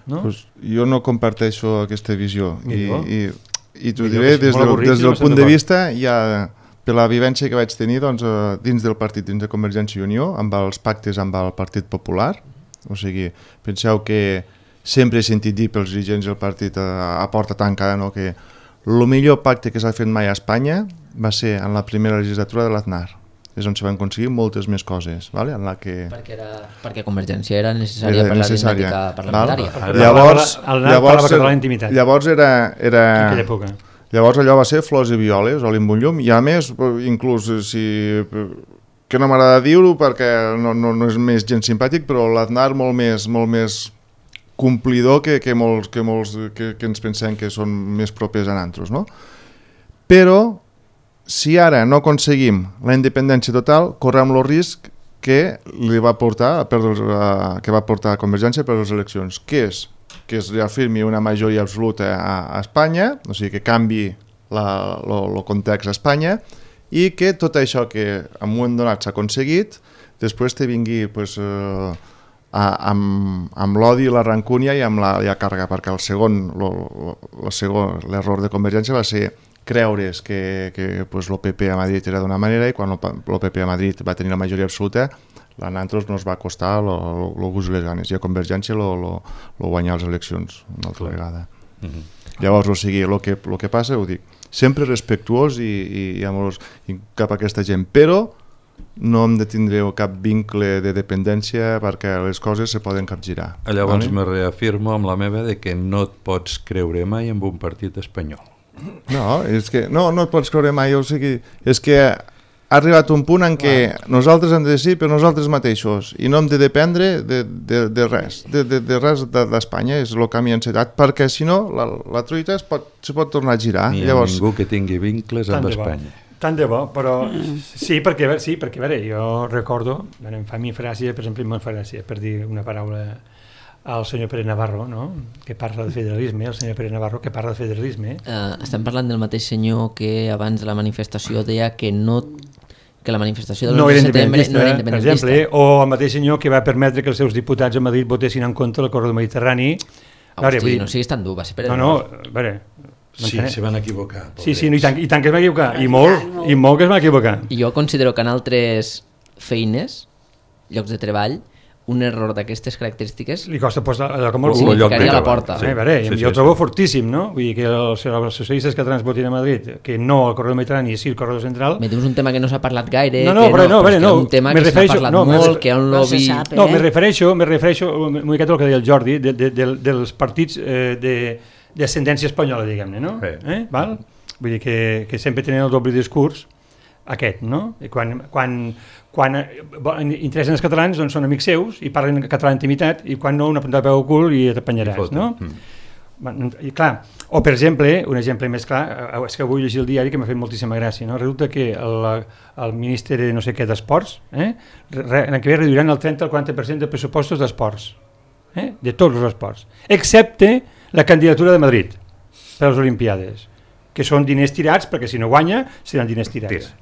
No? Pues jo no comparteixo aquesta visió i t'ho diré des del punt de vista per la vivència que vaig tenir dins del partit, dins de Convergència i Unió, amb els pactes amb el Partit Popular. O sigui, penseu que sempre he sentit dir pels dirigents del partit a porta tancada, no, que el millor pacte que s'ha fet mai a Espanya va ser en la primera legislatura de l'Aznar. És on se van aconseguir moltes més coses, vale? En la que... perquè Convergència era necessària per la dinàmica parlamentària. Llavors allò va ser flors i violes, oli amb un llum, i a més, inclús que no m'agrada dir-ho perquè no és més gens simpàtic, però l'Aznar molt més complidor que ens pensem que són més propers a nosaltres, no? Però si ara no aconseguim la independència total, correm el risc que va portar a Convergència per les eleccions, que es reafirmi una majoria absoluta a Espanya, o sigui que canvi el context a Espanya, i que tot això que en un moment donat s'ha aconseguit, després te vingui amb l'odi, la rancúnia i amb la càrrega, perquè l'error de Convergència va ser creure's que el PP a Madrid era d'una manera i quan el PP a Madrid va tenir la majoria absoluta, a nosaltres nos va costar el gust i les ganes, i a Convergència lo guanyar les eleccions una altra vegada. Llavors, o sigui, el que passa, ho dic, sempre respectuós i amorós cap a aquesta gent, però no hem de tindre cap vincle de dependència perquè les coses se poden capgirar. Llavors me reafirmo amb la meva de que no et pots creure mai en un partit espanyol. No, és que no et pots creure mai, o sigui, és que ha arribat un punt en què nosaltres hem de decidir per nosaltres mateixos i no hem de dependre de res, de res d'Espanya, és el camí encetat, perquè si no la truita se pot tornar a girar. Ni hi ha ningú que tingui vincles amb Espanya. Tant de bo, però sí, perquè a veure, jo recordo, em fa gràcia, per exemple, em fa gràcia, per dir una paraula al senyor Pere Navarro, no? Que parla de federalisme, el senyor Pere Navarro que parla de federalisme. Estem parlant del mateix senyor que abans de la manifestació deia que la manifestació del 9 de setembre no era independentista. Per exemple, o el mateix senyor que va permetre que els seus diputats a Madrid votessin en contra del corredor mediterrani. Hosti, no siguis tan dur, va ser Pere Navarro. No, a veure... Sí, se van equivocar. Sí, i tant que es va equivocar, i molt que es va equivocar. Jo considero que en altres feines, llocs de treball, un error d'aquestes característiques li costa posar allò com el cul, significaria la porta. Jo ho trobo fortíssim, no? Vull dir que els socialistes catalans votin a Madrid, que no al corredor mediterrani, sí al corredor central... Me dius un tema que no s'ha parlat gaire, un tema que s'ha parlat molt, que hi ha un lobby... No, me refereixo una miqueta al que deia el Jordi, dels partits d'ascendència espanyola, diguem-ne, no? Val? Vull dir que sempre tenen el doble discurs aquest, no? I quan interessen els catalans doncs són amics seus i parlen català d'intimitat, i quan no, una puntada de peu al cul i t'apanyaràs, no? I clar, o per exemple, un exemple més clar, és que avui llegir el diari que m'ha fet moltíssima gràcia, no? Resulta que el ministre de no sé què d'esports, l'any que ve reduiran el 30 al 40% de pressupostos d'esports, de tots els esports, excepte la candidatura de Madrid per a les Olimpiades, que són diners tirats, perquè si no guanya seran diners tirats.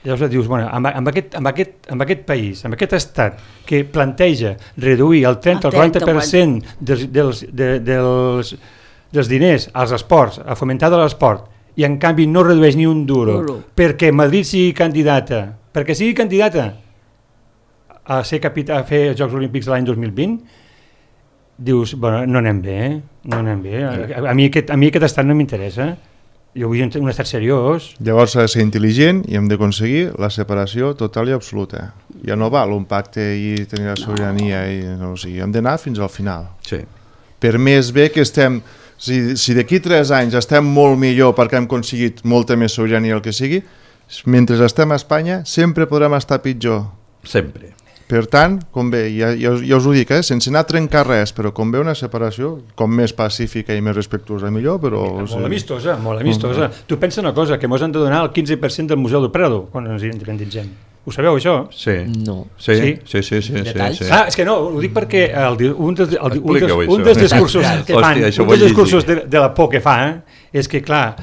Llavors dius, bueno, amb aquest país, amb aquest estat que planteja reduir el 30 al 40% dels diners als esports, a fomentar de l'esport, i en canvi no redueix ni un duro perquè Madrid sigui candidata a fer els Jocs Olímpics de l'any 2020, dius, bueno, no anem bé, no anem bé. A mi aquest estat no m'interessa. Jo vull un estat seriós. Llavors s'ha de ser intel·ligent i hem d'aconseguir la separació total i absoluta. Ja no val un pacte i tenir la sobirania, hem d'anar fins al final. Sí. Per més bé que estem, si d'aquí 3 anys estem molt millor perquè hem aconseguit molta més sobirania el que sigui, mentre estem a Espanya sempre podrem estar pitjor. Sempre. Per tant, convé, ja us ho dic, sense anar a trencar res, però convé una separació, com més pacífica i més respectuosa millor, però... Molt amistosa, molt amistosa. Tu pensa una cosa, que mos han de donar el 15% del Museu del Prado quan ens independitzem. Ho sabeu, això? Sí. No. Sí. És que no, ho dic perquè un dels discursos de la por que fa és que, clar,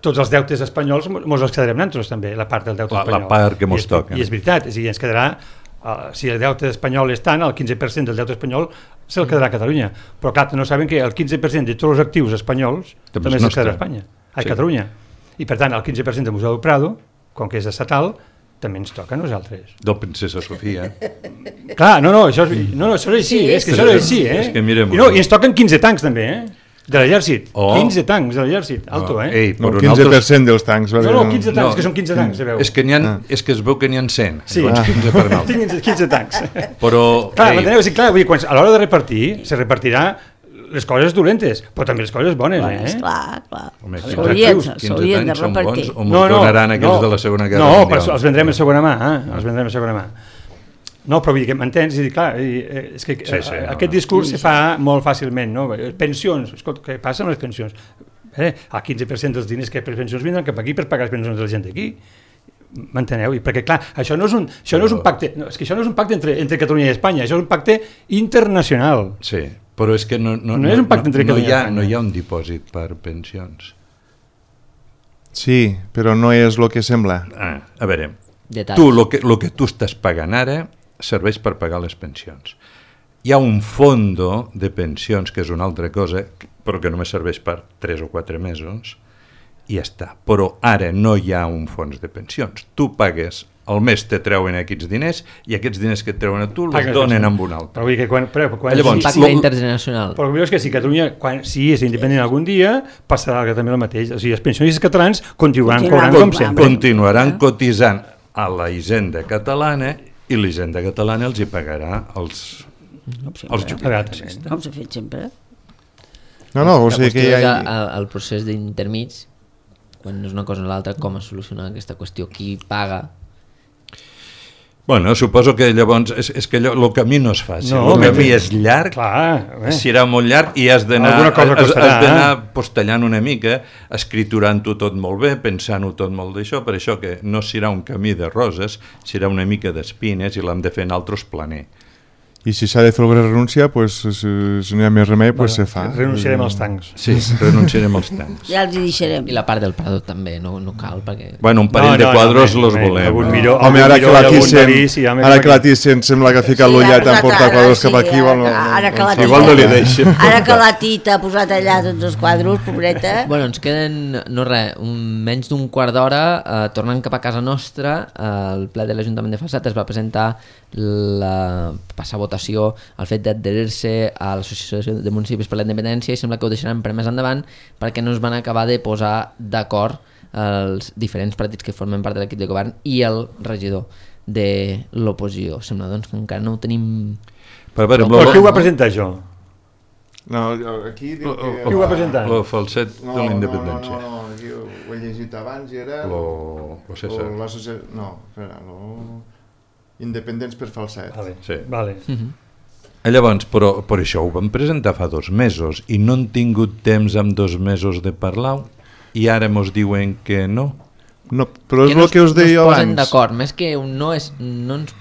tots els deutes espanyols mos els quedarem nosaltres també, la part del deute espanyol. La part que mos toca. I és veritat, ens quedarà... si el deute espanyol és tant, el 15% del deute espanyol se'l quedarà a Catalunya, però clar, no saben que el 15% de tots els actius espanyols també se'l quedarà a Espanya, a Catalunya, i per tant el 15% del Museu del Prado, com que és estatal, també ens toca a nosaltres. Del Princesa Sofia. Clar, això és així, és que això és així, És que mirem... I ens toquen 15 tancs també, de l'exèrcit, 15 tancs de l'exèrcit, alto, No, 15% dels tancs. No, 15 tancs, que són 15 tancs, se veu. És que es veu que n'hi ha 100, sí. 15 per nou. 15 tancs. Però... Clar, a l'hora de repartir, se repartirà les coses dolentes, però també les coses bones, Clar. S'haurien de repartir. O m'ho donaran aquells de la Segona Guerra Mundial. No, però els vendrem a segona mà, No, però vull dir que m'entens? És que aquest discurs se fa molt fàcilment, no? Pensions, escolta, què passa amb les pensions? El 15% dels diners que per pensions vindran cap aquí per pagar les pensions de la gent d'aquí. M'enteneu? Perquè, clar, això no és un pacte, és que això no és un pacte entre Catalunya i Espanya, això és un pacte internacional. Sí, però és que no és un pacte entre Catalunya i Espanya. No hi ha un dipòsit per pensions. Sí, però no és el que sembla. A veure, el que tu estàs pagant ara serveix per pagar les pensions. Hi ha un fondo de pensions, que és una altra cosa, però que només serveix per 3 o 4 mesos, i ja està. Però ara no hi ha un fons de pensions. Tu pagues, al mes te treuen aquests diners, i aquests diners que et treuen a tu els donen amb un altre. Però vull dir que quan llavors, pacte internacional. Però és que si Catalunya, si és independent algun dia, passarà també el mateix. O sigui, els pensionistes catalans continuaran cobrant com sempre. Continuaran cotitzant a la hisenda catalana, i l'hisenda catalana els hi pagarà els jubilats. Com s'ha fet sempre? No, o sigui que hi ha... El procés d'intermig, quan no és una cosa o l'altra, com es soluciona aquesta qüestió? Qui paga? Bueno, suposo que llavors és que el camí no és fàcil, el camí és llarg, serà molt llarg i has d'anar postellant una mica, escriturant-ho tot molt bé, pensant-ho tot molt d'això, per això que no serà un camí de roses, serà una mica d'espines i l'hem de fer en altres planer. I si s'ha de fer alguna renúncia, si no hi ha més remei, se fa. Renunciarem als tancs. Sí, renunciarem als tancs. Ja els hi deixarem. I la part del Prado també, no cal, perquè... Bueno, un parell de quadros los volem. Home, ara que la Thyssen sembla que ha ficat l'ullet en portar quadros cap aquí, igual no li deixem. Ara que la Tita ha posat allà tots els quadros, pobreta... Bueno, ens queden, menys d'un quart d'hora, tornant cap a casa nostra, el ple de l'Ajuntament de Falset es va presentar passar votació el fet d'adherir-se a l'Associació de Municipis per la Independència i sembla que ho deixaran per més endavant perquè no es van acabar de posar d'acord els diferents partits que formen part de l'equip de govern i el regidor de l'oposició. Sembla doncs que encara no ho tenim... Però qui ho va presentar, això? No, aquí diu que... Qui ho va presentar? El falset de la independència. No, aquí ho he llegit abans i era... Independents per Falset. Vale. Llavors, però per això ho vam presentar fa 2 mesos i no han tingut temps en 2 mesos de parlar i ara mos diuen que no. No, però és el que us deia abans. No es posen d'acord, més que no ens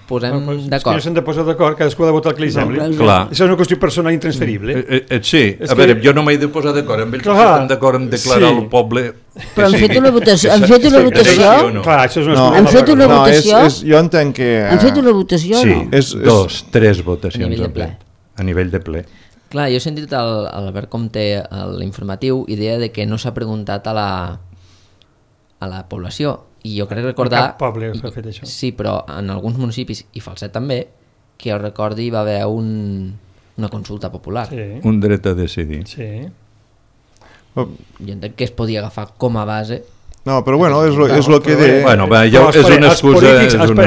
posem d'acord. És que no s'han de posar d'acord, cadascú ha de votar el que li sembli. Clar. Això és una qüestió personal intransferible. Sí, a veure, jo no m'he de posar d'acord amb ells, que estem d'acord en declarar al poble... Però han fet una votació? Han fet una votació? Clar, això és una... Han fet una votació? Jo entenc que... Han fet una votació o no? Sí, 3 votacions a nivell de ple. Clar, jo he sentit l'Albert Comte a l'informatiu i deia que no s'ha preguntat a la població i jo crec recordar... Cap poble s'ha fet això. Sí, però en alguns municipis, i Falset també, que jo recordi va haver una consulta popular. Sí. Un dret a decidir. Sí. Jo entenc que es podia agafar com a base. No, però bueno, és el que de... Bueno, és una excusa.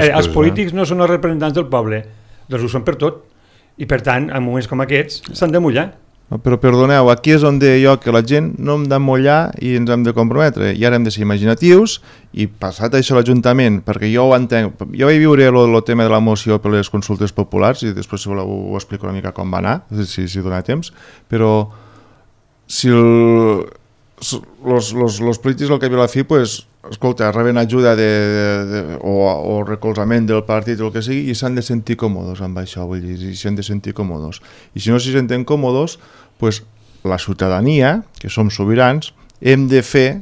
Els polítics no són els representants del poble, doncs ho són per tot. I per tant, en moments com aquests, s'han de mullar. No, però perdoneu, aquí és on deia jo que la gent no hem de mullar i ens hem de comprometre, i ara hem de ser imaginatius i passat això a l'Ajuntament, perquè jo ho entenc, jo vaig viure el tema de la moció per les consultes populars i després si voleu ho explico una mica com va anar, si dona temps, però si els polítics al cap i a la fi, pues, escolta, reben ajuda o recolzament del partit o el que sigui i s'han de sentir còmodes amb això, vull dir, i s'han de sentir còmodes. I si no s'hi senten còmodes, pues, la ciutadania, que som sobirans, hem de fer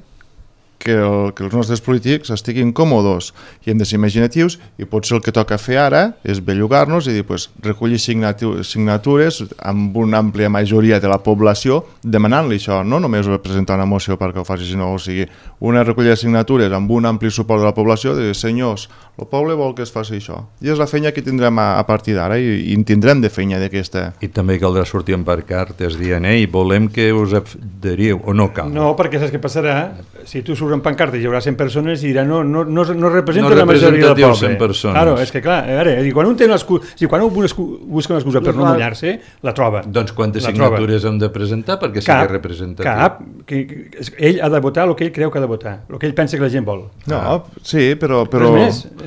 que els nostres polítics estiguin còmodes i hem de ser imaginatius i potser el que toca fer ara és bellugar-nos i dir, pues, recollir signatures amb una àmplia majoria de la població demanant-li això, no només presentar una moció perquè ho faci, sinó o sigui, una recollida de signatures amb un ampli suport de la població de dir, senyors, el poble vol que es faci això. I és la feina que tindrem a partir d'ara i en tindrem de feina d'aquesta. I també caldrà sortir amb pancartes dient, volem que us adheriu, o no cal? No, perquè saps què passarà? Si tu surts amb pancartes hi haurà 100 persones i diran no representa la majoria del poble. 100 persones. Claro, és que clar, a veure, quan un busca una excusa per no mullar-se, la troba. Doncs quantes signatures hem de presentar perquè sigui representatiu? Cap. Ell ha de votar el que ell creu que ha de votar, el que ell pensa que la gent vol. No, sí, però...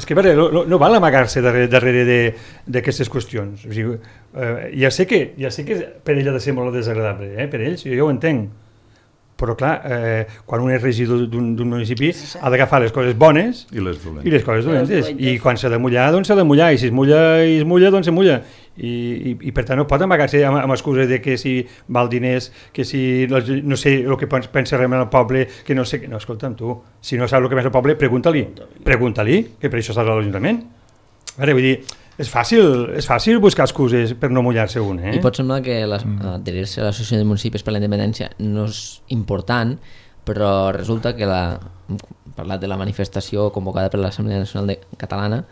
És que no val amagar-se darrere d'aquestes qüestions. O sigui, ja sé que per ell ha de ser molt desagradable, per ells, jo ho entenc. Però clar, quan un és regidor d'un municipi ha d'agafar les coses bones i les coses dolentes. I quan s'ha de mullar, doncs s'ha de mullar. I si es mulla, doncs se mulla. I per tant no pot amagar-se amb excuses de que si val diners, que si no sé el que pensa realment el poble, que no sé... No, escolta'm, tu, si no saps el que pensa el poble, pregunta-li, que per això estàs a l'Ajuntament. Vull dir, és fàcil buscar excuses per no mullar-se un. I pot semblar que adherir-se a l'Associació de Municipis per la Independència no és important, però resulta que hem parlat de la manifestació convocada per l'Assemblea Nacional Catalana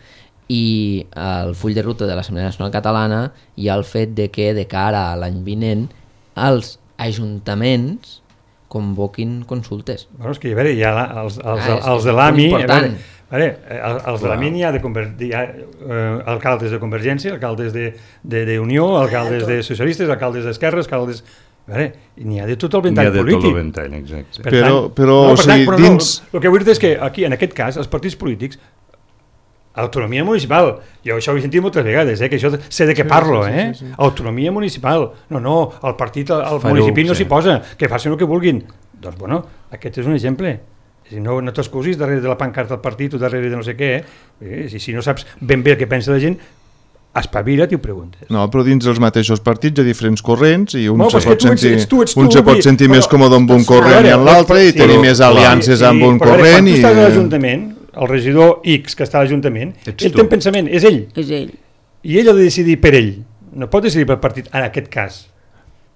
i el full de ruta de l'Assemblea Nacional Catalana hi ha el fet de que de cara a l'any vinent els ajuntaments convoquin consultes. Bueno, és que hi ha els de l'AMI... Els de la MIN hi ha alcaldes de Convergència, alcaldes d'Unió, alcaldes de socialistes, alcaldes d'esquerres, alcaldes... N'hi ha de tot el ventall polític. N'hi ha de tot el ventall, exacte. Però o sigui, dins... El que vull dir és que aquí, en aquest cas, els partits polítics Autonomia municipal. Jo això ho he sentit moltes vegades, que això sé de què parlo, sí. Autonomia municipal. No, el partit, el municipi no s'hi posa, que facin el que vulguin. Doncs, bueno, aquest és un exemple. No t'excusis darrere de la pancarta del partit o darrere de no sé què. Si no saps ben bé el que pensa la gent, espavila't i ho preguntes. No, però dins dels mateixos partits hi ha diferents corrents i un se pot sentir més còmode amb un corrent i en l'altre i tenir més aliances amb un corrent. Quan tu estàs a l'Ajuntament, el regidor X que està a l'Ajuntament, ell té un pensament, és ell. I ell ha de decidir per ell. No pot decidir pel partit, en aquest cas.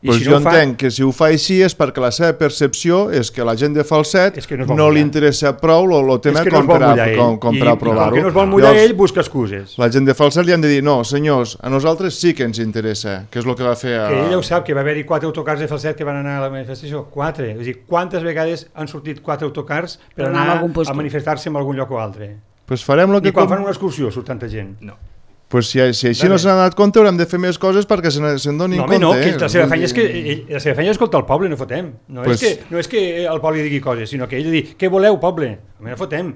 Pues jo entenc que si ho fa així és perquè la seva percepció és que la gent de Falset no li interessa prou el tema com per aprovar-ho. Com que no es vol mullar ell, busca excuses. La gent de Falset li han de dir, no, senyors, a nosaltres sí que ens interessa, que és el que va fer... Que ell ho sap, que va haver-hi 4 autocars de Falset que van anar a la manifestació. 4. És a dir, quantes vegades han sortit 4 autocars per anar a manifestar-se en algun lloc o altre? Pues farem I quan fan una excursió surt tanta gent? No. Pues si així no s'han donat compte haurem de fer més coses perquè se'n donin compte. No, que la seva feina és escoltar el poble, no fotem. No és que el poble digui coses, sinó que ell digui, què voleu, poble? No fotem.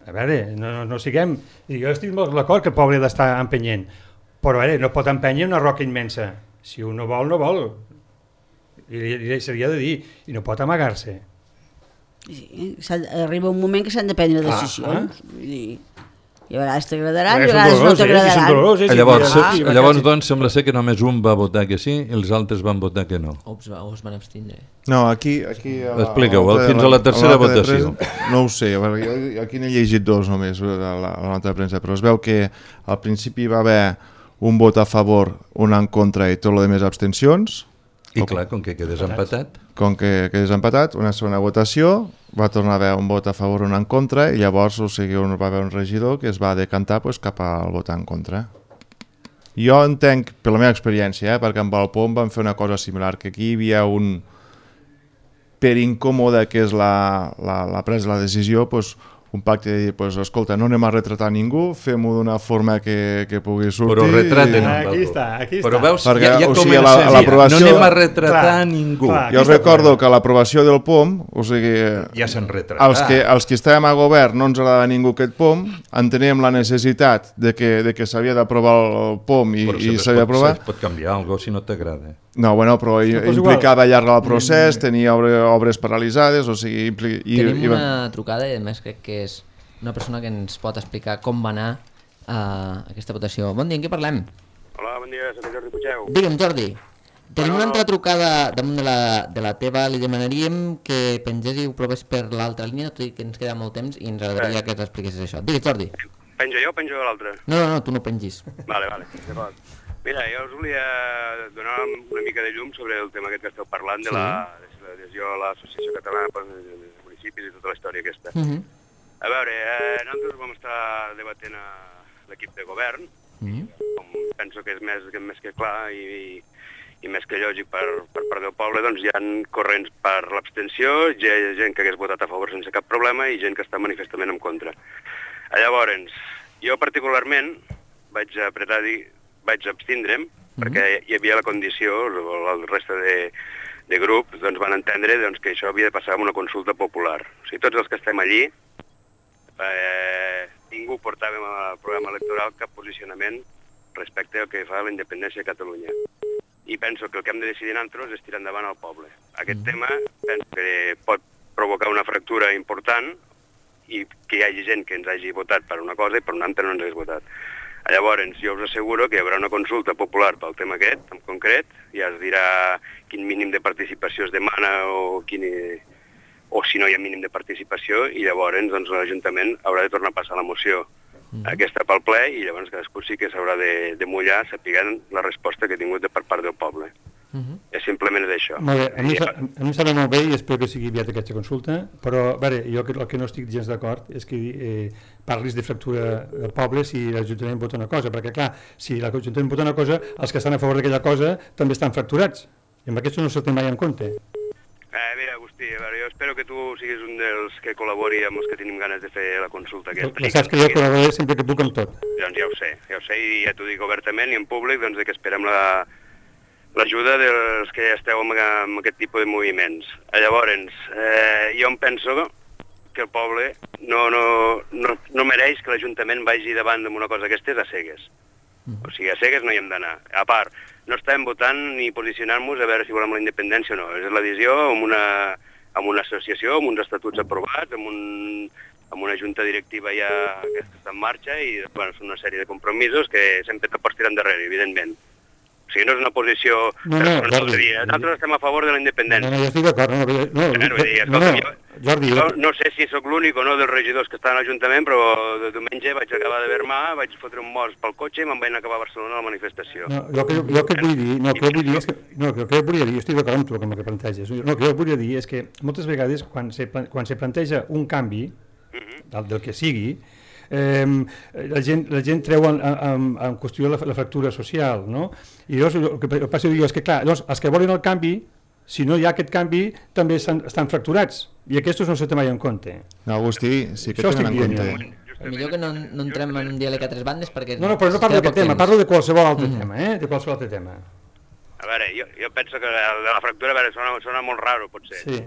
A veure, no siguem... Jo estic molt d'acord que el poble ha d'estar empenyent, però a veure, no pot empènyer una roca immensa. Si un no vol, no vol. I s'hauria de dir, i no pot amagar-se. Sí, arriba un moment que s'han de prendre decisions. I a vegades t'agradaran i a vegades no t'agradaran. Llavors, doncs, sembla ser que només un va votar que sí i els altres van votar que no. O es van abstindre. No, aquí... Expliqueu, fins a la tercera votació. No ho sé, aquí n'he llegit 2 només, la nota de premsa, però es veu que al principi va haver un vot a favor, un en contra i tot el de més abstencions. I clar, com que quedes empatat. Com que quedes empatat, una segona votació, va tornar a haver un vot a favor, un en contra, i llavors va haver un regidor que es va decantar cap al vot en contra. Jo entenc, per la meva experiència, perquè amb el POM vam fer una cosa similar, que aquí hi havia un per incòmode que és la presa de la decisió, un pacte de dir, escolta, no anem a retratar ningú, fem-ho d'una forma que pugui sortir... Però retraten. Aquí està. Però veus, ja comença no anem a retratar ningú. Jo recordo que a l'aprovació del POM, o sigui... Ja s'han retratat. Els que estàvem a govern no ens agrada ningú aquest POM, enteníem la necessitat de que s'havia d'aprovar el POM i s'havia d'aprovar... Però pot canviar alguna cosa si no t'agrada. No, bueno, però implicava allargar el procés, tenia obres paralitzades, o sigui... Tenim una trucada, i a més crec que és una persona que ens pot explicar com va anar aquesta votació. Bon dia, en què parlem? Hola, bon dia, soc Jordi Puigeu. Digue'm, Jordi, tenim una altra trucada damunt de la teva, li demanaríem que pengés i ho provés per l'altra línia, tot i que ens queda molt temps i ens agradaria que t'expliquessis això. Digues, Jordi. Penjo jo o penjo l'altre? No, tu no pengis. Vale, d'acord. Mira, jo us volia donar una mica de llum sobre el tema aquest que esteu parlant de l'adhesió a l'Associació Catalana de Municipis i tota la història aquesta. A veure, nosaltres vam estar debatent a l'equip de govern, com penso que és més que clar i més que lògic per part del poble, doncs hi ha corrents per l'abstenció, hi ha gent que hagués votat a favor sense cap problema i gent que està manifestament en contra. Llavors, jo particularment vaig abstindre'm, perquè hi havia la condició, el resta de grup doncs van entendre que això havia de passar amb una consulta popular. O sigui, tots els que estem allí, ningú portàvem al programa electoral cap posicionament respecte al que fa la independència de Catalunya. I penso que el que hem de decidir nosaltres és tirar endavant al poble. Aquest tema penso que pot provocar una fractura important i que hi hagi gent que ens hagi votat per una cosa i per una altra no ens hagi votat. Llavors, jo us asseguro que hi haurà una consulta popular pel tema aquest, en concret, ja es dirà quin mínim de participació es demana o si no hi ha mínim de participació, i llavors l'Ajuntament haurà de tornar a passar la moció aquesta pel ple i llavors cadascú sí que s'haurà de mullar sapigant la resposta que ha tingut per part del poble. És simplement això. Molt bé, a mi em sembla molt bé i espero que sigui aviat aquesta consulta, però veure, jo el que no estic gens d'acord és que parlis de fractura del poble si l'Ajuntament vota una cosa, perquè clar, si l'Ajuntament vota una cosa, els que estan a favor d'aquella cosa també estan fracturats, i amb això no se'l té mai en compte. Mira, Agustí, a veure, jo espero que tu siguis un dels que col·labori amb els que tenim ganes de fer la consulta aquesta. Ja saps que jo col·laboraré sempre que puc amb tot. Doncs ja ho sé, i ja t'ho dic obertament i en públic, doncs que esperem l'ajuda dels que esteu en aquest tipus de moviments. Llavors, jo em penso que el poble no mereix que l'Ajuntament vagi davant d'una cosa d'aquestes a cegues. O sigui, a cegues no hi hem d'anar. A part, no estem votant ni posicionant-nos a veure si volem la independència o no. És l'adhesió amb una associació, amb uns estatuts aprovats, amb una junta directiva ja que està en marxa i bueno, són una sèrie de compromisos que sempre te pots tirar endarrere, evidentment. O sigui, no és una posició... Nosaltres estem a favor de la independència. No, jo estic d'acord. Jordi, no sé si sóc l'únic o no dels regidors que estan a l'Ajuntament, però de diumenge vaig acabar de Vermà, vaig fotre un mos pel cotxe i me'n vaig anar a acabar a Barcelona a la manifestació. Jo que vull dir, jo estic d'acord amb tu amb el que planteges. No, que jo volia dir és que moltes vegades quan se planteja un canvi, del que sigui, la gent treu en qüestió la fractura social, no? I llavors el que passa és que, clar, els que volen el canvi, si no hi ha aquest canvi, també estan fracturats, i aquests no se té mai en compte. No, Agustí, sí que tenen en compte. Millor que no entrem en un diàleg a tres bandes perquè... No, però no parlo d'aquest tema, parlo de qualsevol altre tema, de qualsevol altre tema. A veure, jo penso que la fractura, a veure, sona molt raro, potser. Sí.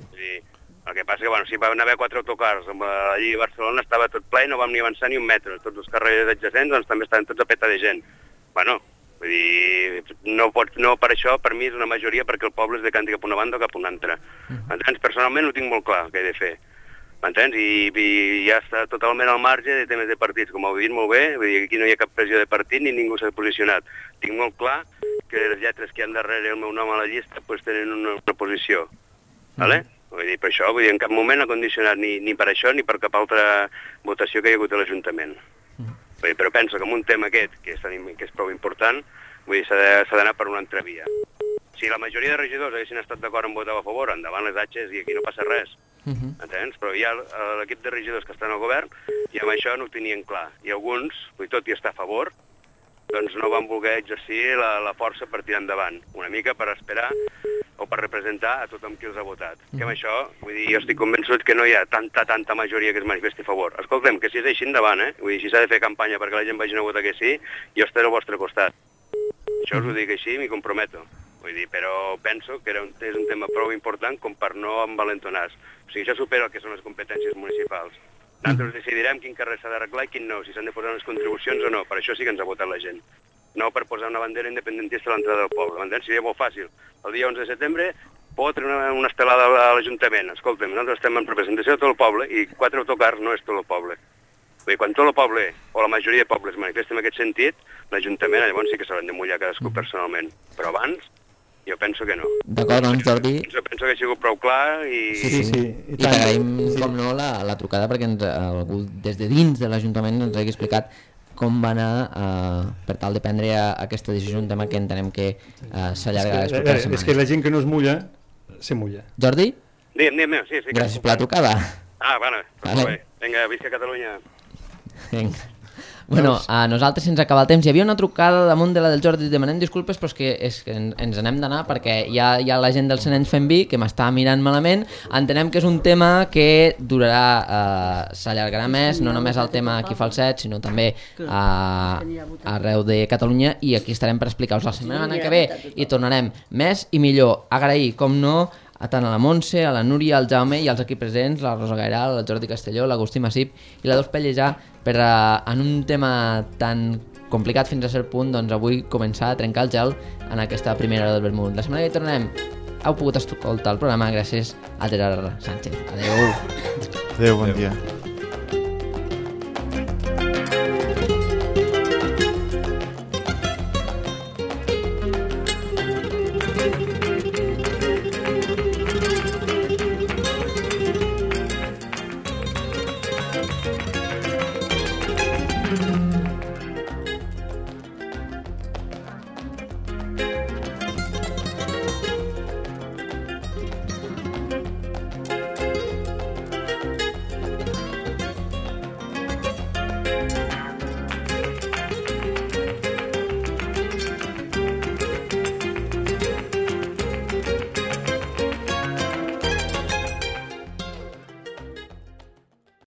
El que passa que, bueno, si van haver 4 autocars, allí a Barcelona estava tot ple i no vam ni avançar ni un metre. Tots els carrers adjacents doncs, també estaven tots a peta de gent. Bueno, vull dir, no per això, per mi és una majoria perquè el poble es decanti cap a una banda o cap a una altra. Entens? Personalment ho tinc molt clar, què he de fer. M'entens? I ja està totalment al marge de temes de partits, com heu dit molt bé, vull dir, aquí no hi ha cap pressió de partit ni ningú s'ha posicionat. Tinc molt clar que les lletres que hi ha darrere el meu nom a la llista pues, tenen una posició. Vale? Vull dir, per això, vull dir, en cap moment ha condicionat ni per això ni per cap altra votació que hi ha hagut a l'Ajuntament. Vull dir, però penso que en un tema aquest, que és prou important, vull dir, s'ha d'anar per una altra via. Si la majoria de regidors haguessin estat d'acord en votar a favor, endavant les atxes i aquí no passa res. Entens? Però hi ha l'equip de regidors que estan al govern i amb això no ho tenien clar. I alguns, tot i estar a favor, doncs no van voler exercir la força per tirar endavant. Una mica per esperar o per representar a tothom qui els ha votat. Que amb això, vull dir, jo estic convençut que no hi ha tanta majoria que es manifesti a favor. Escoltem, que si és així endavant, Vull dir, si s'ha de fer campanya perquè la gent vagi a votar que sí, jo estaré al vostre costat. Això us ho dic així i m'hi comprometo. Vull dir, però penso que és un tema prou important com per no envalentonar-se. O sigui, això supera el que són les competències municipals. Nosaltres decidirem quin carrer s'ha d'arreglar i quin no, si s'han de posar unes contribucions o no. Per això sí que ens ha votat la gent. No per posar una bandera independentista a l'entrada del poble. M'entens? Seria molt fàcil. El dia 11 de setembre pot treure una estelada a l'Ajuntament. Escolta'm, nosaltres estem en representació de tot el poble i 4 autocars no és tot el poble. Vull dir, quan tot el poble, o la majoria de pobles manifesta en aquest sentit, l'Ajuntament llavors sí que s'hauran de mullar cadascú personalment. Però abans, jo penso que no. D'acord, doncs, Jordi. Jo penso que ha sigut prou clar i... Sí. I t'agraïm, com no, la trucada perquè algú des de dins de l'Ajuntament ens hagi explicat com va anar per tal de prendre aquesta decisió, un tema que entenem que s'allarga les properes setmanes. És que la gent que no es mulla, se mulla. Jordi? Digue'm, sí. Gràcies per la trucada. Vale. Vinga, visca Catalunya. Vinga. Bueno, a nosaltres se'ns acaba el temps. Hi havia una trucada damunt de la del Jordi, demanem disculpes, però és que ens n'hem d'anar perquè hi ha la gent del Senens fent vi que m'està mirant malament. Entenem que és un tema que durarà, s'allargarà més, no només el tema aquí Falset, sinó també arreu de Catalunya, i aquí estarem per explicar-vos la setmana que ve i tornarem més i millor. Agrair, com no, a tant a la Montse, a la Núria, al Jaume i als aquí presents, la Rosa Gairal, el Jordi Castelló, l'Agustí Massip i la Dols Pellejà, per en un tema tan complicat fins a cert punt, doncs avui començar a trencar el gel en aquesta primera hora del vermut. La setmana que tornem heu pogut escoltar el programa gràcies a Gerard Sánchez. Adéu. Adéu, bon dia.